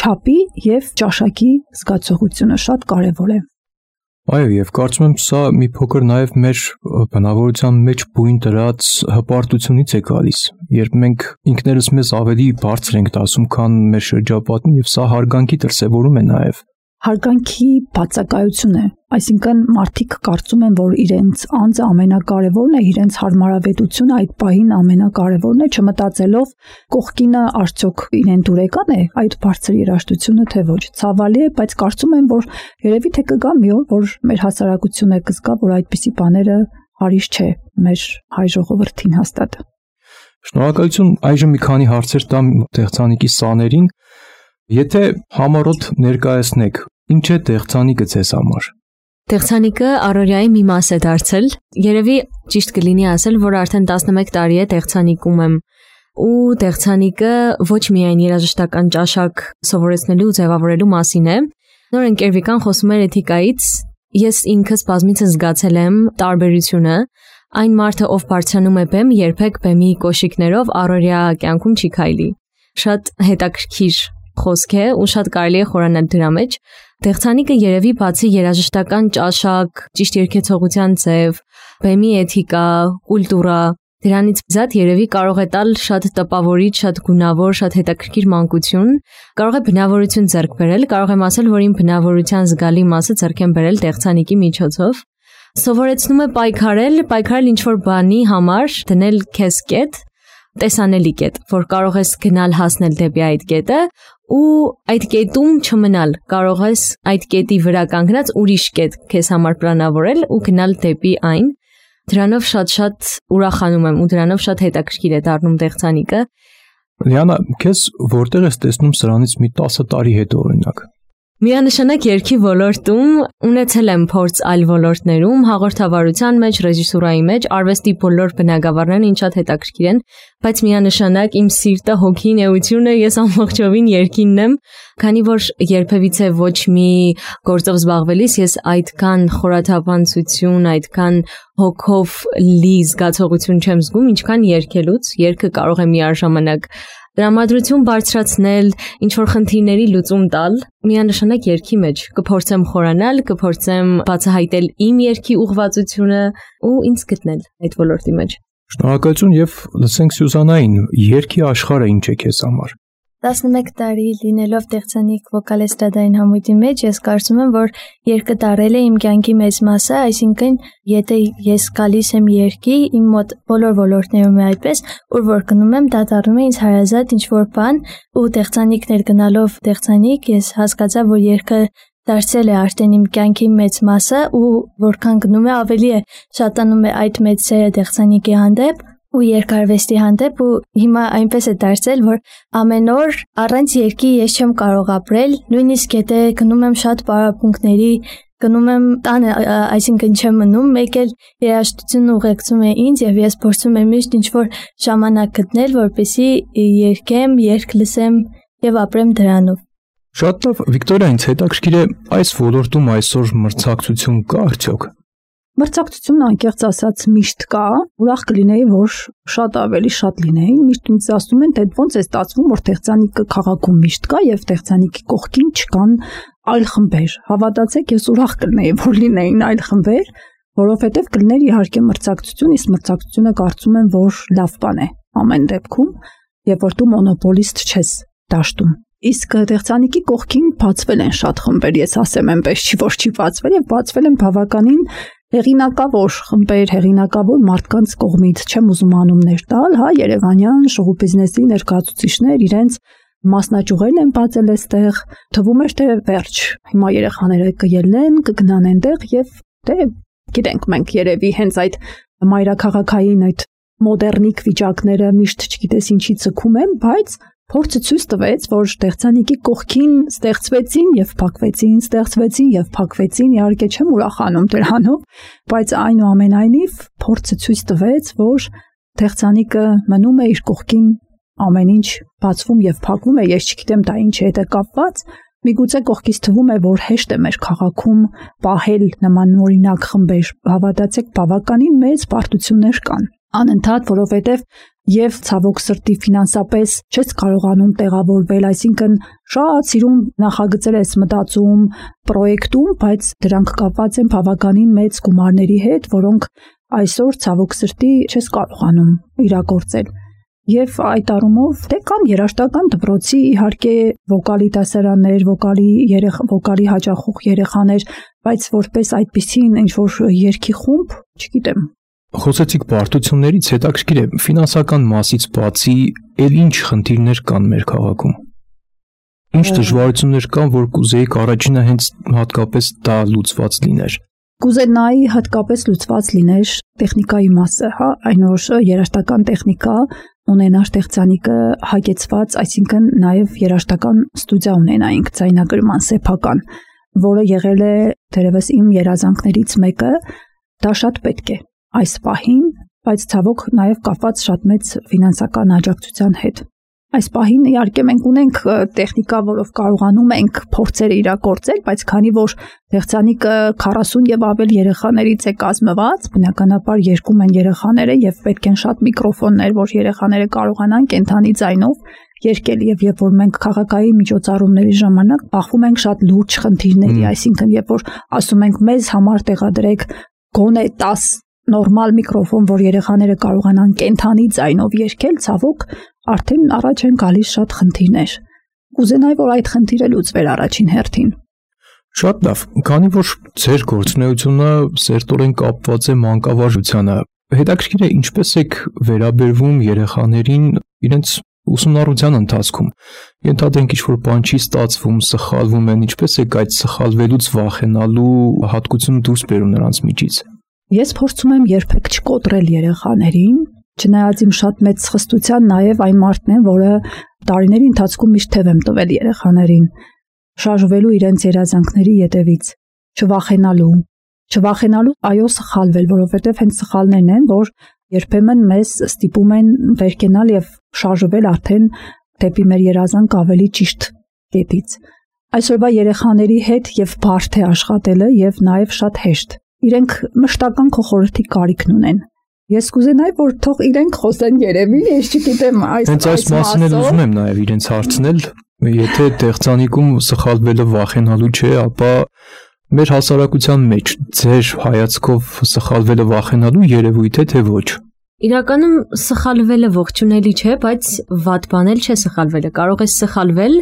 Speaker 3: չափի եւ ճաշակի զգացողությունը շատ կարեւոր է։
Speaker 2: Այո, եւ կարծում եմ սա մի փոքր նաեւ մեր բնավորության մեջ բույն դրած հպարտությունից է գալիս, երբ մենք ինքներս մեզ ավելի բարձր ենք դասում, քան մեր շրջապատին, եւ սա հարգանքի դրսևորում է նաեւ։
Speaker 3: Հարգանքի բացակայություն է, այսինքն մարդիկ կարծում են, որ իրենց անձը ամենակարևորն է, իրենց հարմարավետությունը այդ պահին ամենակարևորն է, չմտածելով կողքինը արդյոք իրեն դուրեկան է այդ բարձր երաժշտությունը, թե ոչ։ Ցավալի է, բայց կարծում եմ, որ երևի թե կգա մի օր, որ մեր հասարակությունը կզգա, որ այդպիսի բաները հարիշ չէ մեր հայ ժողովրդին հաստատ։
Speaker 2: Շնորհակալություն, այժմ մի քանի հարցեր տամ տեխնիկի սաներին։ Եթե համառոտ ներկայացնեք, ինչ է տեխնիկը ձեզ համար։
Speaker 5: Տեխնիկը առօրյայի մի մաս է դարձել։ Երևի ճիշտ կլինի ասել, որ արդեն տասնմեկ տարի է տեխնիկում եմ։ Ու տեխնիկը ոչ միայն երաժշտական ճաշակ սովորեցնելու ու ձևավորելու մասին է։ Նոր ընկերվիկան խոսում էր էթիկայից, ես ինքս բազմիցս զգացել եմ տարբերությունը։ Այն մարդը, ով բարձրանում է բեմ, երբեք բեմի կոշիկներով առօրյա կյանքում չի քայլի։ Շատ հետաքրքիր խոսք է ու շատ կարելի է խորանալ դրա մեջ։ Տեխնիկը երևի բացի երաժշտական ճաշակ, ճիշտ երգեցողության ձև, բեմի էթիկա, կուլտուրա, դրանից զատ երևի կարող է տալ շատ տպավորիչ, շատ գունավոր, շատ հետաքրքիր մանկություն, կարող է բնավորություն ձեռք բերել, կարող եմ ասել, որ իմ բնավորության զգալի մասը ձեռք եմ բերել տեխնիկի միջոցով։ Սովորեցնում է պայքարել, պայքարել ինչ-որ բանի համար, դնել քեզ կետ, տեսանելի կետ, որ կարող ես գնալ հասնել դեպի այդ կետը ու այդ կետում չմնալ, կարող ես այդ կետի վրա կանգնած ուրիշ կետ քեզ համար պլանավորել ու գնալ դեպի այն։ Դրանով շատ-շատ ուրախանում եմ ու դրանով շատ հետաքրքիր է դառնում տեխնիկը։
Speaker 2: Լիանա, քեզ որտեղ ես տեսնում սրանից մի տասը տարի հետո օրինակ։
Speaker 5: Միանշանակ երգի ոլորտում ունեցել եմ փորձ այլ ոլորտներում, հաղորդավարության մեջ, ռեժիսուրայի մեջ, արվեստի բոլոր բնագավառներն ինձ շատ հետաքրքիր են, բայց միանշանակ իմ սիրտը, հոգին, էությունը ես ամբողջովին երգինն եմ, քանի որ երբևիցե ոչ մի գործով զբաղվելիս ես այդքան խորաթափանցություն, այդքան հոգով լի զգացողություն չեմ զգում, ինչքան երգելուց, երգը կարող է միաժամանակ տրամադրություն բարձրացնել, ինչ-որ խնդիրների լուծում տալ, միանշանակ երգի մեջ կփորձեմ խորանալ, կփորձեմ բացահայտել իմ երգի ուղղվածությունը ու ինձ գտնել այդ ոլորտի մեջ։
Speaker 2: Շնորհակալություն եւ լսենք Սյուզանային, երգի աշխարհը ինչ է քեզ համար։
Speaker 6: տասնմեկ տարի լինելով տեխնիկ վոկալ էստրադային համույթի մեջ, ես կարծում եմ, որ երգը դարել է իմ կյանքի մեծ մասը, այսինքն եթե ես գալիս եմ երգի, իմ մոտ բոլոր ոլորտներում է այդպես, ուր որ գնում եմ, դա դառնում է ինձ հարազատ ինչ-որ բան, ու տեխնիկներ գնալով տեխնիկ, ես հասկացա, որ երգը դարձել է արդեն իմ կյանքի մեծ մասը, ու որքան գնում է, ավելի է շատանում է այդ մեծ սերը տեխնիկի հանդեպ ու երկարվեստի հանդեպ, ու հիմա այնպես է դարձել, որ ամեն օր առանց երգի ես չեմ կարող ապրել, նույնիսկ եթե գնում եմ շատ պարապմունքների, գնում եմ տանը, այսինքն չեմ մնում, մեկ էլ երաժշտությունն ուղեկցում է ինձ եւ ես փորձում եմ միշտ ինչ-որ ժամանակ գտնել, որպեսզի երգեմ, երգ լսեմ եւ ապրեմ դրանով։
Speaker 2: Շատ լավ, Վիկտորիա, ինձ հետաքրքիր է այս ոլորտում այսօր մրցակցություն կա արդյոք։
Speaker 3: Մրցակցությունն անկեղծ ասած միշտ կա, ուրախ կլինեի, որ շատ ավելի շատ լինեին, միշտ ինձ ասում են, թե ոնց է ստացվում, որ տեխնիկը քաղաքում միշտ կա եւ տեխնիկի կողքին չկան այլ խմբեր։ Հավատացեք, ես ուրախ կլինեի, որ լինեին այլ խմբեր, որովհետեւ կլիներ իհարկե մրցակցություն, իսկ մրցակցությունը կարծում եմ, որ լավ բան է ամեն դեպքում, եւ որ դու մոնոպոլիստ չես դաշտում։ Իսկ տեխնիկի կողքին բացվել են շատ խմբեր, ես ասեմ այնպես, չի որ չի բացվել եւ բացվել են բավականին հեղինակավոր խմբեր, հեղինակավոր մարդկանց կողմից, չեմ ուզում անուններ տալ, հա, երևանյան շոու բիզնեսի ներկայացուցիչներ իրենց մասնաճյուղերն են բացել այստեղ, թվում էր թե վերջ, հիմա երեխաները կելնեն, կգնան այնտեղ եւ դե գիտենք մենք երևի հենց այդ մայրաքաղաքային այդ մոդեռնիկ վիճակները միշտ չգիտես ինչի ցկում են, բայց Փորձը ցույց տվեց, որ տեխնիկի կողքին ստեղծվեցին եւ փակվեցին, ստեղծվեցին եւ փակվեցին, իհարկե չեմ ուրախանում դրանով, բայց այնուամենայնիվ փորձը ցույց տվեց, որ տեխնիկը մնում է իր կողքին, ամեն ինչ բացվում եւ փակվում է, ես չգիտեմ դա ինչի հետ է կապված, միգուցե կողքից թվում է, որ հեշտ է մեր քաղաքում պահել նմանօրինակ խմբեր, հավատացեք, բավականին մեծ պարտություններ կան, անընդհատ, որովհետեւ եւ ցավոք սրտի ֆինանսապես չես կարողանում տեղավորվել, այսինքն շատ սիրուն նախագծեր ես մտածում, պրոյեկտում, բայց դրանք կապված են բավականին մեծ գումարների հետ, որոնք այսօր ցավոք սրտի չես կարողանում իրագործել։ Եվ այդ առումով դե կան երաժշտական դպրոցի իհարկե վոկալի դասարաններ, վոկալի երեխ վոկալի հաճախող երեխաներ, բայց որպես այդպիսին ինչ որ երգի խումբ, չգիտեմ։
Speaker 2: Խոսեցիք բարդություններից, հետաքրքիր է, ֆինանսական մասից բացի, ել ինչ խնդիրներ կան մեր քաղաքում։ Ինչ դժվարություններ կան, որ կուզեիք առաջինը հենց հատկապես դա լուծված լիներ։
Speaker 3: Կուզենայի հատկապես լուծված լիներ տեխնիկայի մասը, հա, այն որ երաժշտական տեխնիկա ունենար տեխնիկը հագեցված, այսինքն նաև երաժշտական ստուդիա ունենայինք ձայնագրման սեփական, որը եղել է դերևս իմ երազանքներից մեկը, դա շատ պետք է այս պահին, բայց ցավոք նաև կապված շատ մեծ ֆինանսական աջակցության հետ։ Այս պահին իհարկե մենք ունենք տեխնիկա, որով կարողանում ենք փորձեր իրագործել, բայց քանի որ տեխնիկը քառասուն եւ ավել երեխաներից է կազմված, բնականաբար երկում են երեխաները եւ պետք են շատ միկրոֆոններ, որ երեխաները կարողանան կենթանի ձայնով երգել եւ երբ որ մենք քաղաքային միջոցառումների ժամանակ բախվում ենք շատ լուրջ խնդիրների, այսինքն երբ որ ասում ենք մեզ համար տեղադրեք գոնե տաս նորմալ միկրոֆոն, որ երեխաները կարողանան կենթանի ձայնով երգել, ցավոք արդեն առաջ են գալիս շատ խնդիրներ։ Կուզենայի, որ այդ խնդիրը լուծվեր առաջին հերթին։
Speaker 2: Շատ լավ, քանի որ ձեր գործունեությունը սերտորեն կապված է մանկավարժությանը, հետաքրքիր է ինչպես եք վերաբերվում երեխաներին իրենց ուսումնառության ընթացքում։ Ենթադրենք ինչ-որ բան չի ստացվում, սխալվում են, ինչպես եք այդ սխալվելուց վախենալու հատկությունը դուրս բերում նրանց միջից։
Speaker 3: Ես փորձում եմ երբեք չկոտրել երեխաներին, չնայած իմ շատ մեծ սխստության նաև այն մարդն է, որը տարիների ընթացքում միշտ թև եմ տվել երեխաներին, շարժվելու իրենց երազանքների ետևից, չվախենալու, չվախենալու այո սխալվել, որովհետև հենց սխալներն են, որ երբեմն մեզ ստիպում են վերկենալ եւ շարժվել արդեն դեպի մեր երազանք ավելի ճիշտ կետից։ Այսօրվա երեխաների հետ եւ բարդ է աշխատելը եւ նաեւ շատ հեշտ։ Իրենք մշտական քո խորհրդի կարիքն ունեն։ Ես կուզենայի, որ թող իրենք խոսեն երևի, ես չգիտեմ այս
Speaker 2: այս այս մասին էլ ուզում եմ նաև իրենց հարցնել, եթե տեխնիկում սխալվելը վախենալու չէ, ապա մեր հասարակության մեջ ձեր հայացքով սխալվելը վախենալու երևույթ է թե ոչ։
Speaker 5: Իրականում սխալվելը ողջունելի չէ, բայց վատ բան էլ չէ սխալվելը։ Կարող ես սխալվել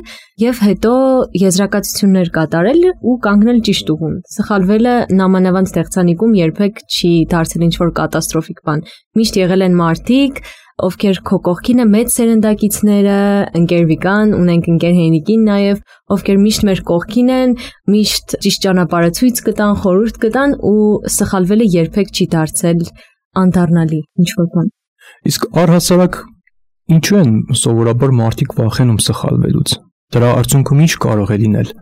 Speaker 5: եւ հետո եզրակացություններ կատարել ու կանգնել ճիշտ ուղուն։ Սխալվելը նամանավանդ տեխնիկում երբեք չի դարձել ինչ-որ կատաստրոֆիկ բան։ Միշտ եղել են մարդիկ, ովքեր քո կողքին է մեծ սերնդակիցները, ընկեր Վիկան, ունենք ընկեր Հենիկին նաեւ, ովքեր միշտ մեր կողքին են, միշտ ճիշտ ճանապարհը ցույց կտան, խորհուրդ կտան ու սխալվելը երբեք չի դարձել անդառնալի ինչ-որ բան։
Speaker 2: Իսկ առհասարակ ինչու են սովորաբար մարդիկ վախենում սխալվելուց։ Դրա արդյունքում ինչ կարող է լինել։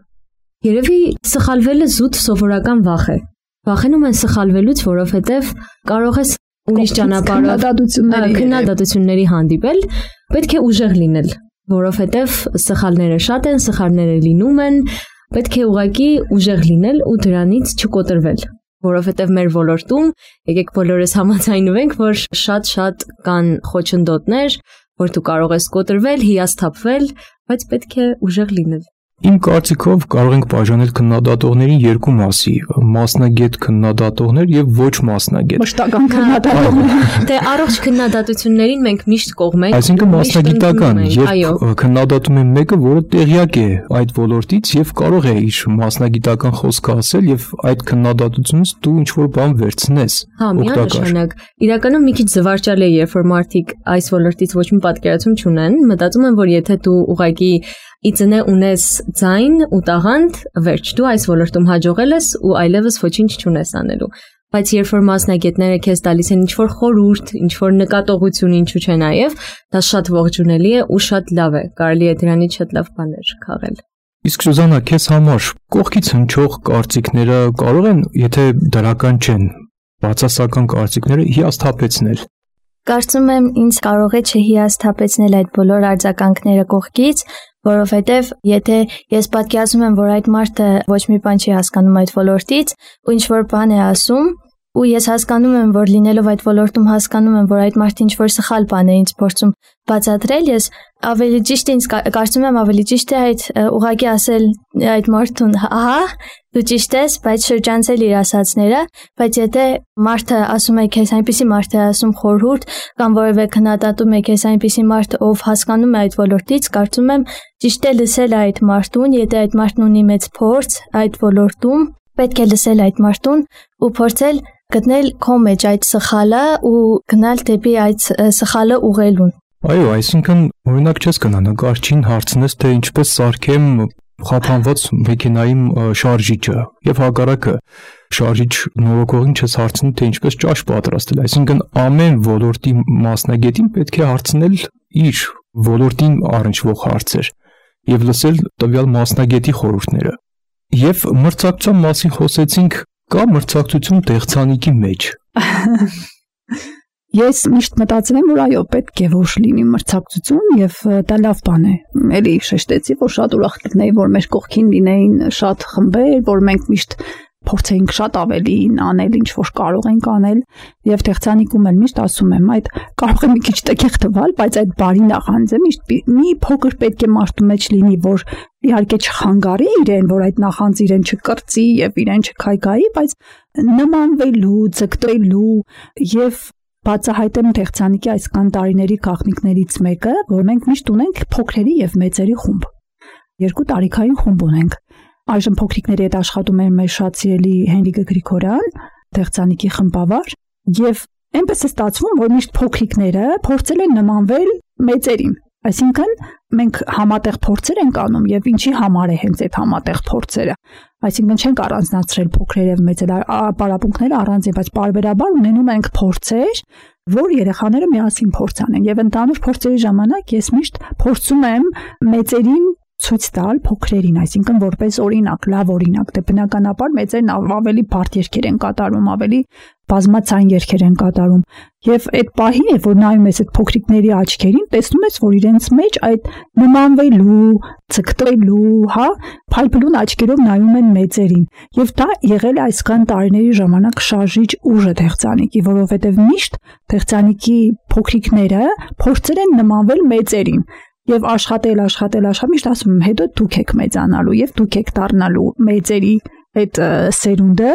Speaker 5: Երևի սխալվելը զուտ սովորական վախ է։ Վախենում են սխալվելուց, որովհետև կարող ես ուրիշ ճանապարհով քննադատությունների հանդիպել, պետք է ուժեղ լինել, որովհետև սխալները շատ են, սխալները լինում են, պետք է ուղղակի ուժեղ լինել ու դրանից չկոտրվել, որովհետև մեր ոլորտում եկեք բոլորս համաձայնվենք, որ շատ-շատ կան խոչընդոտներ, որ դու կարող ես կոտրվել, հիասթափվել, բայց պետք է ուժեղ լինել։
Speaker 2: Իմ կարծիքով կարող ենք բաժանել քննադատողներին երկու մասի՝ մասնագետ քննադատողներ եւ ոչ մասնագետ։
Speaker 3: Մշտական քննադատողներ։
Speaker 5: Դե առողջ քննադատություններին մենք միշտ կողմ ենք։
Speaker 2: Այսինքն մասնագիտական, երբ քննադատում են մեկը, որը տեղյակ է այդ ոլորտից եւ կարող է իր մասնագիտական խոսքը ասել եւ այդ քննադատությունից դու ինչ-որ բան վերցնես։
Speaker 5: Հա, միանշանակ։ Իրականում մի քիչ զվարճալ է, երբ որ մարդիկ այս ոլորտից ոչ մի պատկերացում չունեն, մտածում են, որ եթե դու ուղղակի իծնե ունես ձայն ու տաղանդ, վերջ, դու այս ոլորտում հաջողել ես ու այլևս ոչինչ չունես անելու։ բայց երբ որ մասնագետները քեզ տալիս են ինչ-որ խորհուրդ, ինչ-որ նկատողություն, ինչու՞ չէ նաև, դա շատ ողջունելի է ու շատ լավ է, կարելի է դրանից շատ լավ բաներ քաղել։
Speaker 2: Իսկ Սուզանա, քեզ համար կողքից հնչող կարծիքները կարող են, եթե դրական չեն, բացասական կարծիքները հիասթափեցնել։
Speaker 6: Կարծում եմ ինձ կարող է չհիասթափեցնել այդ բոլոր արձագանքները կողքից, որովհետև եթե ես պատկերացնում եմ, որ այդ մարդը ոչ մի բան չի հասկանում այդ ոլորտից ու ինչ-որ բան է ասում, ու ես հասկանում եմ, որ լինելով այդ ոլորտում հասկանում եմ, որ այդ մարդը ինչ-որ սխալ բան է ինձ փորձում բացատրել, ես ավելի ճիշտ ինձ կարծում եմ ավելի ճիշտ է այդ ուղղակի ասել այդ մարդուն, ահա, դու ճիշտ ես, բայց շրջանցել իր ասածները, բայց եթե մարդը ասում է քեզ այնպիսի մարդ է ասում խորհուրդ կամ որևէ քննադատում է քեզ այնպիսի մարդ, ով հասկանում է այդ ոլորտից, կարծում եմ ճիշտ է լսել այդ մարդուն, եթե այդ մարդն ունի մեծ փորձ այդ ոլորտում, պետք է լսել այդ մարդուն ու փորձել գտնել քո մեջ այդ սխալը ու գնալ դեպի այդ սխալը ուղղելուն։
Speaker 2: Այո, այսինքն օրինակ չես գնա նկարչին հարցնես, թե ինչպես սարքեմ խափանված մեքենայում շարժիչը եւ հակառակը շարժիչ նորոգողին չես հարցնի, թե ինչպես ճաշ պատրաստել, այսինքն ամեն ոլորտի մասնագետին պետք է հարցնել իր ոլորտին առնչվող հարցեր եւ լսել տվյալ մասնագետի խորհուրդները։ Եվ մրցակցության մասին խոսեցինք, կա մրցակցություն տեխնիկի մեջ։
Speaker 3: Ես միշտ մտածում եմ, որ այո, պետք է որ լինի մրցակցություն եւ դա լավ բան է։ Էլի շեշտեցի, որ շատ ուրախ կլինեի, որ մեր կողքին լինեին շատ խմբեր, որ մենք միշտ փորձեինք շատ ավելին անել, ինչ որ կարող ենք անել, եւ տեխնիկում էլ միշտ ասում եմ, այդ կարող է մի քիչ տեղ թվալ, բայց այդ բարի նախանձը միշտ մի փոքր պետք է մարդու մեջ լինի, որ իհարկե չխանգարի իրեն, որ այդ նախանձը իրեն չկրծի եւ իրեն չքայքայի, բայց նմանվելու, ձգտելու եւ բացահայտեմ տեխնիկի այսքան տարիների գաղտնիքներից մեկը, որ մենք միշտ ունենք փոքրերի եւ մեծերի խումբ։ Երկու տարիքային խումբ ունենք։ Այժմ փոքրիկների հետ աշխատում է մեր շատ սիրելի Հենրիկը Գրիգորյան, տեխնիկի խմբավար, եւ այնպես է ստացվում, որ միշտ փոքրիկները փորձել են նմանվել մեծերին։ Այսինքն մենք համատեղ փորձեր ենք անում եւ ինչի համար է հենց այդ համատեղ փորձերը։ Այսինքն չենք առանձնացրել փոքրեր եւ մեծեր, պարապմունքները առանձին, բայց պարբերաբար ունենում ենք փորձեր, որ երեխաները միասին փորձ անեն եւ ընդհանուր փորձերի ժամանակ ես միշտ փորձում եմ մեծերին ցույց տալ փոքրերին, այսինքն որպես օրինակ, լավ օրինակ, դե բնականաբար մեծերն ավելի բարդ երգեր են կատարում, ավելի բազմացան երգեր են կատարում, եւ այդ պահին է, որ նայում ես այդ փոքրիկների աչքերին, տեսնում ես, որ իրենց մեջ այդ նմանվելու, ցկտելու, հա, փայլփլուն աչքերով նայում են մեծերին, եւ դա եղել է այսքան տարիների ժամանակ շարժիչ ուժը տեխնիկի, որովհետեւ միշտ տեխնիկի փոքրիկները փորձել են նմանվել մեծերին։ Եվ աշխատել, աշխատել, աշխատել, միշտ ասում եմ, հետո դուք եք մեծանալու եւ դուք եք դառնալու մեծերի այդ սերունդը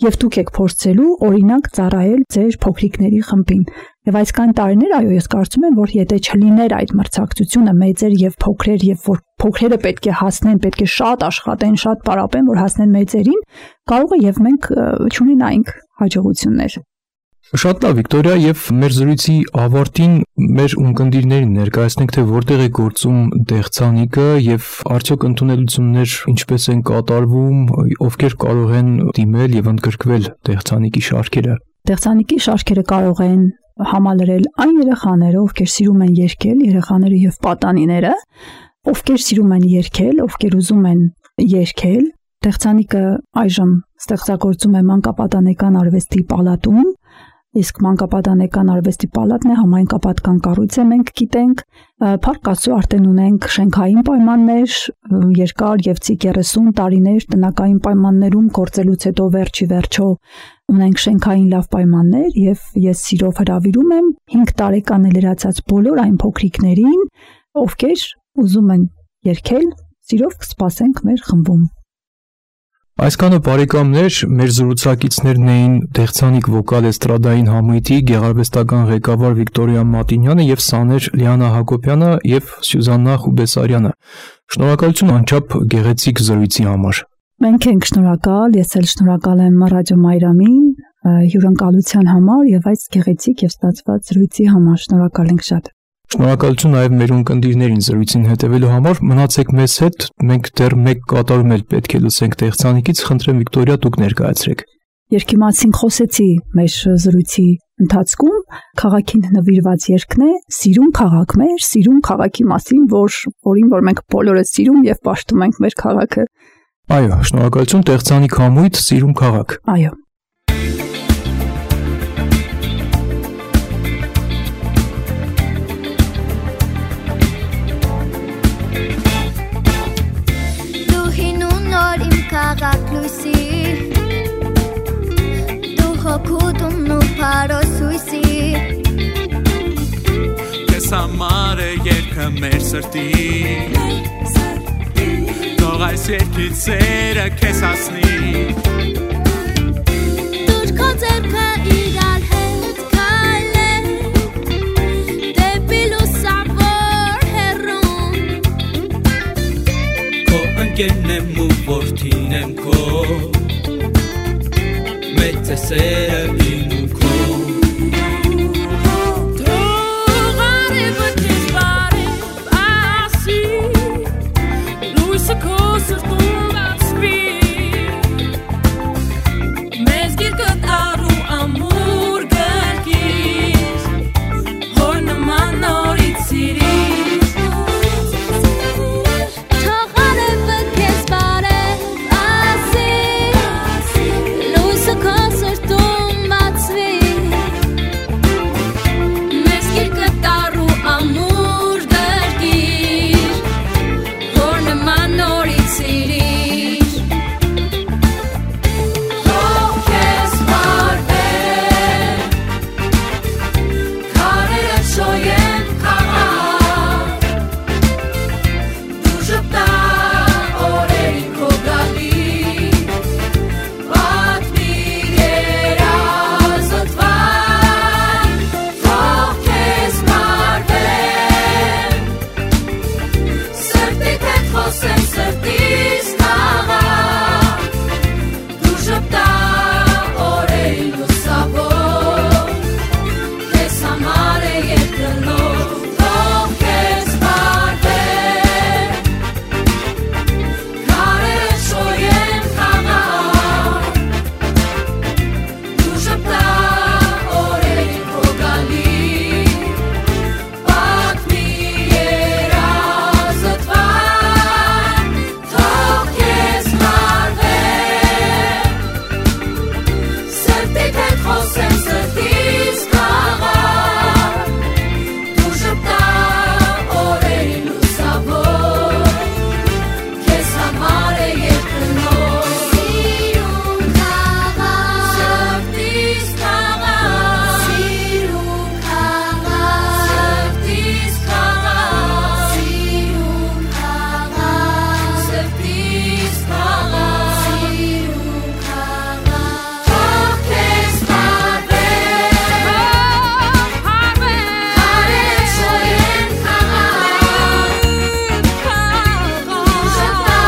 Speaker 3: եւ դուք եք փորձելու օրինակ ծառայել ձեր փոքրիկների խմբին։ Եվ այսքան տարիներ, այո, ես կարծում եմ, որ եթե չլիներ այդ մրցակցությունը մեծեր եւ փոքրեր եւ որ փոքրերը պետք է հասնեն, պետք է շատ աշխատեն, շատ պարապեն, որ հասնեն մեծերին, կարող է եւ մենք չունենայինք հաջողություններ։
Speaker 2: Շատ լավ, Վիկտորիա, եւ մեր զրույցի ավարտին մեր ունկնդիրներին ներկայացնենք, թե որտեղ է գործում տեխնիկը եւ արդյոք ընդունելություններ ինչպես են կատարվում, ովքեր կարող են դիմել եւ ընդգրկվել տեխնիկի շարքերը։
Speaker 3: Տեխնիկի շարքերը կարող են համալրել այն երեխաները, ովքեր սիրում են երգել, երեխաները եւ պատանիները, ովքեր սիրում են երգել, ովքեր ուզում են երգել։ Տեխնիկը այժմ ստեղծագործում է մանկապատանեկան արվեստի պալատում։ Իսկ մանկապատանեկան արվեստի պալատն է, համայնքապատկան կառույց է, մենք գիտենք, փառք Աստծո արդեն ունենք շենքային պայմաններ, երկար եւ ցիկ երեսուն տարիներ տնակային պայմաններում գործելուց հետո վերջի վերջո ունենք շենքային լավ պայմաններ եւ ես սիրով հրավիրում եմ հինգ տարեկան լրացած բոլոր այն փոքրիկներին, ովքեր ուզում են երգել, սիրով կսպասենք մեր խմբում։
Speaker 2: Այսքանը բարեկամներ, մեր զրուցակիցներն էին տեխնիկ վոկալ էստրադային համույթի գեղարվեստական ղեկավար Վիկտորիա Մատինյանը եւ Սաներ Լիանա Հակոբյանը եւ Սյուզաննա Խուբեսարյանը։ Շնորհակալություն անչափ գեղեցիկ զրույցի համար։
Speaker 3: Մենք ենք շնորհակալ, ես էլ շնորհակալ եմ Ռադիո Մայրամին հյուրընկալության համար եւ այս գեղեցիկ եւ ստացված զրույցի համար։ Շնորհակալ ենք շատ։
Speaker 2: Շնորհակալություն նաև մեր ունկնդիրներին զրույցին հետևելու համար։ Մնացեք մեզ հետ, մենք դեռ մեկ կատարում էլ պետք է լսենք տեխնիկից, խնդրեմ Վիկտորիա, դուք ներկայացրեք։
Speaker 3: Երկի մասին խոսեցի մեր զրույցի ընթացքում, քաղաքին նվիրված երգն է «Սիրուն քաղաք մեր», սիրուն քաղաքի մասին, որ որին որ մենք բոլորը սիրում եւ պաշտում ենք մեր քաղաքը։
Speaker 2: Այո, շնորհակալություն, Տեղցանիկ համույթ, սիրուն քաղաք։
Speaker 3: Այո։
Speaker 4: Դու հին ու նոր իմ քաղաք լույսի, դու հոգուտումն ու փարոս հույսի,
Speaker 7: Քեզ համար է երգը մեր սրտի, Թող այս երգից սերը քեզ հասնի,
Speaker 4: Դուր քո ձեռքը իրար հետ քայլենք, դեպի լուսավոր հեռուն,
Speaker 7: Քո ընկերն եմ ու որդին եմ քո, Մեծ է սերը իմ ու քո,
Speaker 4: Թող արևը քեզ բարև ասի, լույսը քո սրտում բացվի, մեզ գիրկը տառու ամուր գրկիր, հոր նման նորից սիրիր, Թող արևը քեզ բարև ասի, լույսը քո սրտում բացվի, մեզ գիրկը տառու ամուր գրկիր, հոր նման նորից սիրիր, Թող քեզ բարվեն, քարերը շոյեն քաղաք, դու ժպտա օրերին քո գալի, պատմի երազդ վայր, Թող քեզ բարվեն, սրտիդ հետ խոսեմ սրտիս քաղաք, դու ժպտա օրերին լուսավոր, քեզ համար է երգը նոր, Թող քեզ բարվեն, քարերը շոյեն քաղաք, դու ժպտա օրերին քո գալի, պատմի երազդ վայր, Թող քեզ բարվեն, սրտիդ հետ խոսեմ սրտիս քաղաք, դու ժպտա օրերին լուսավոր, քեզ համար է երգը նոր, Սիրուն քաղաք, սրտիս քաղաք, Սիրուն քաղաք, սրտիս քաղաք, Սիրուն քաղաք, սրտիս քաղաք, Սիրուն քաղաք, Թող քեզ բարվեն, քարերը շոյեն քաղաք, դու ժպտա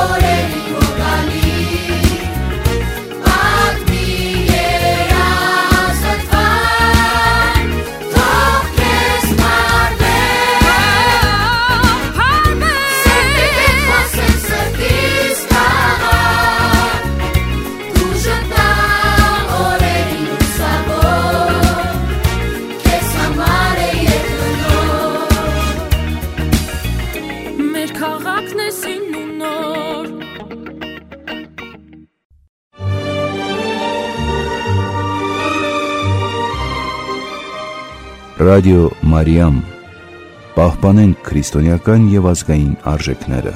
Speaker 4: օրերին քո գալի, պատմի երազդ վայր, Թող քեզ բարվեն, սրտիդ հետ խոսեմ սրտիս քաղաք, դու ժպտա օրերին լուսավոր, քեզ համար է երգը նոր, մեր քաղաքն է սին ու նոր,
Speaker 1: Ռադիո Մարիամ, պահպանենք քրիստոնեական եւ ազգային արժեքները։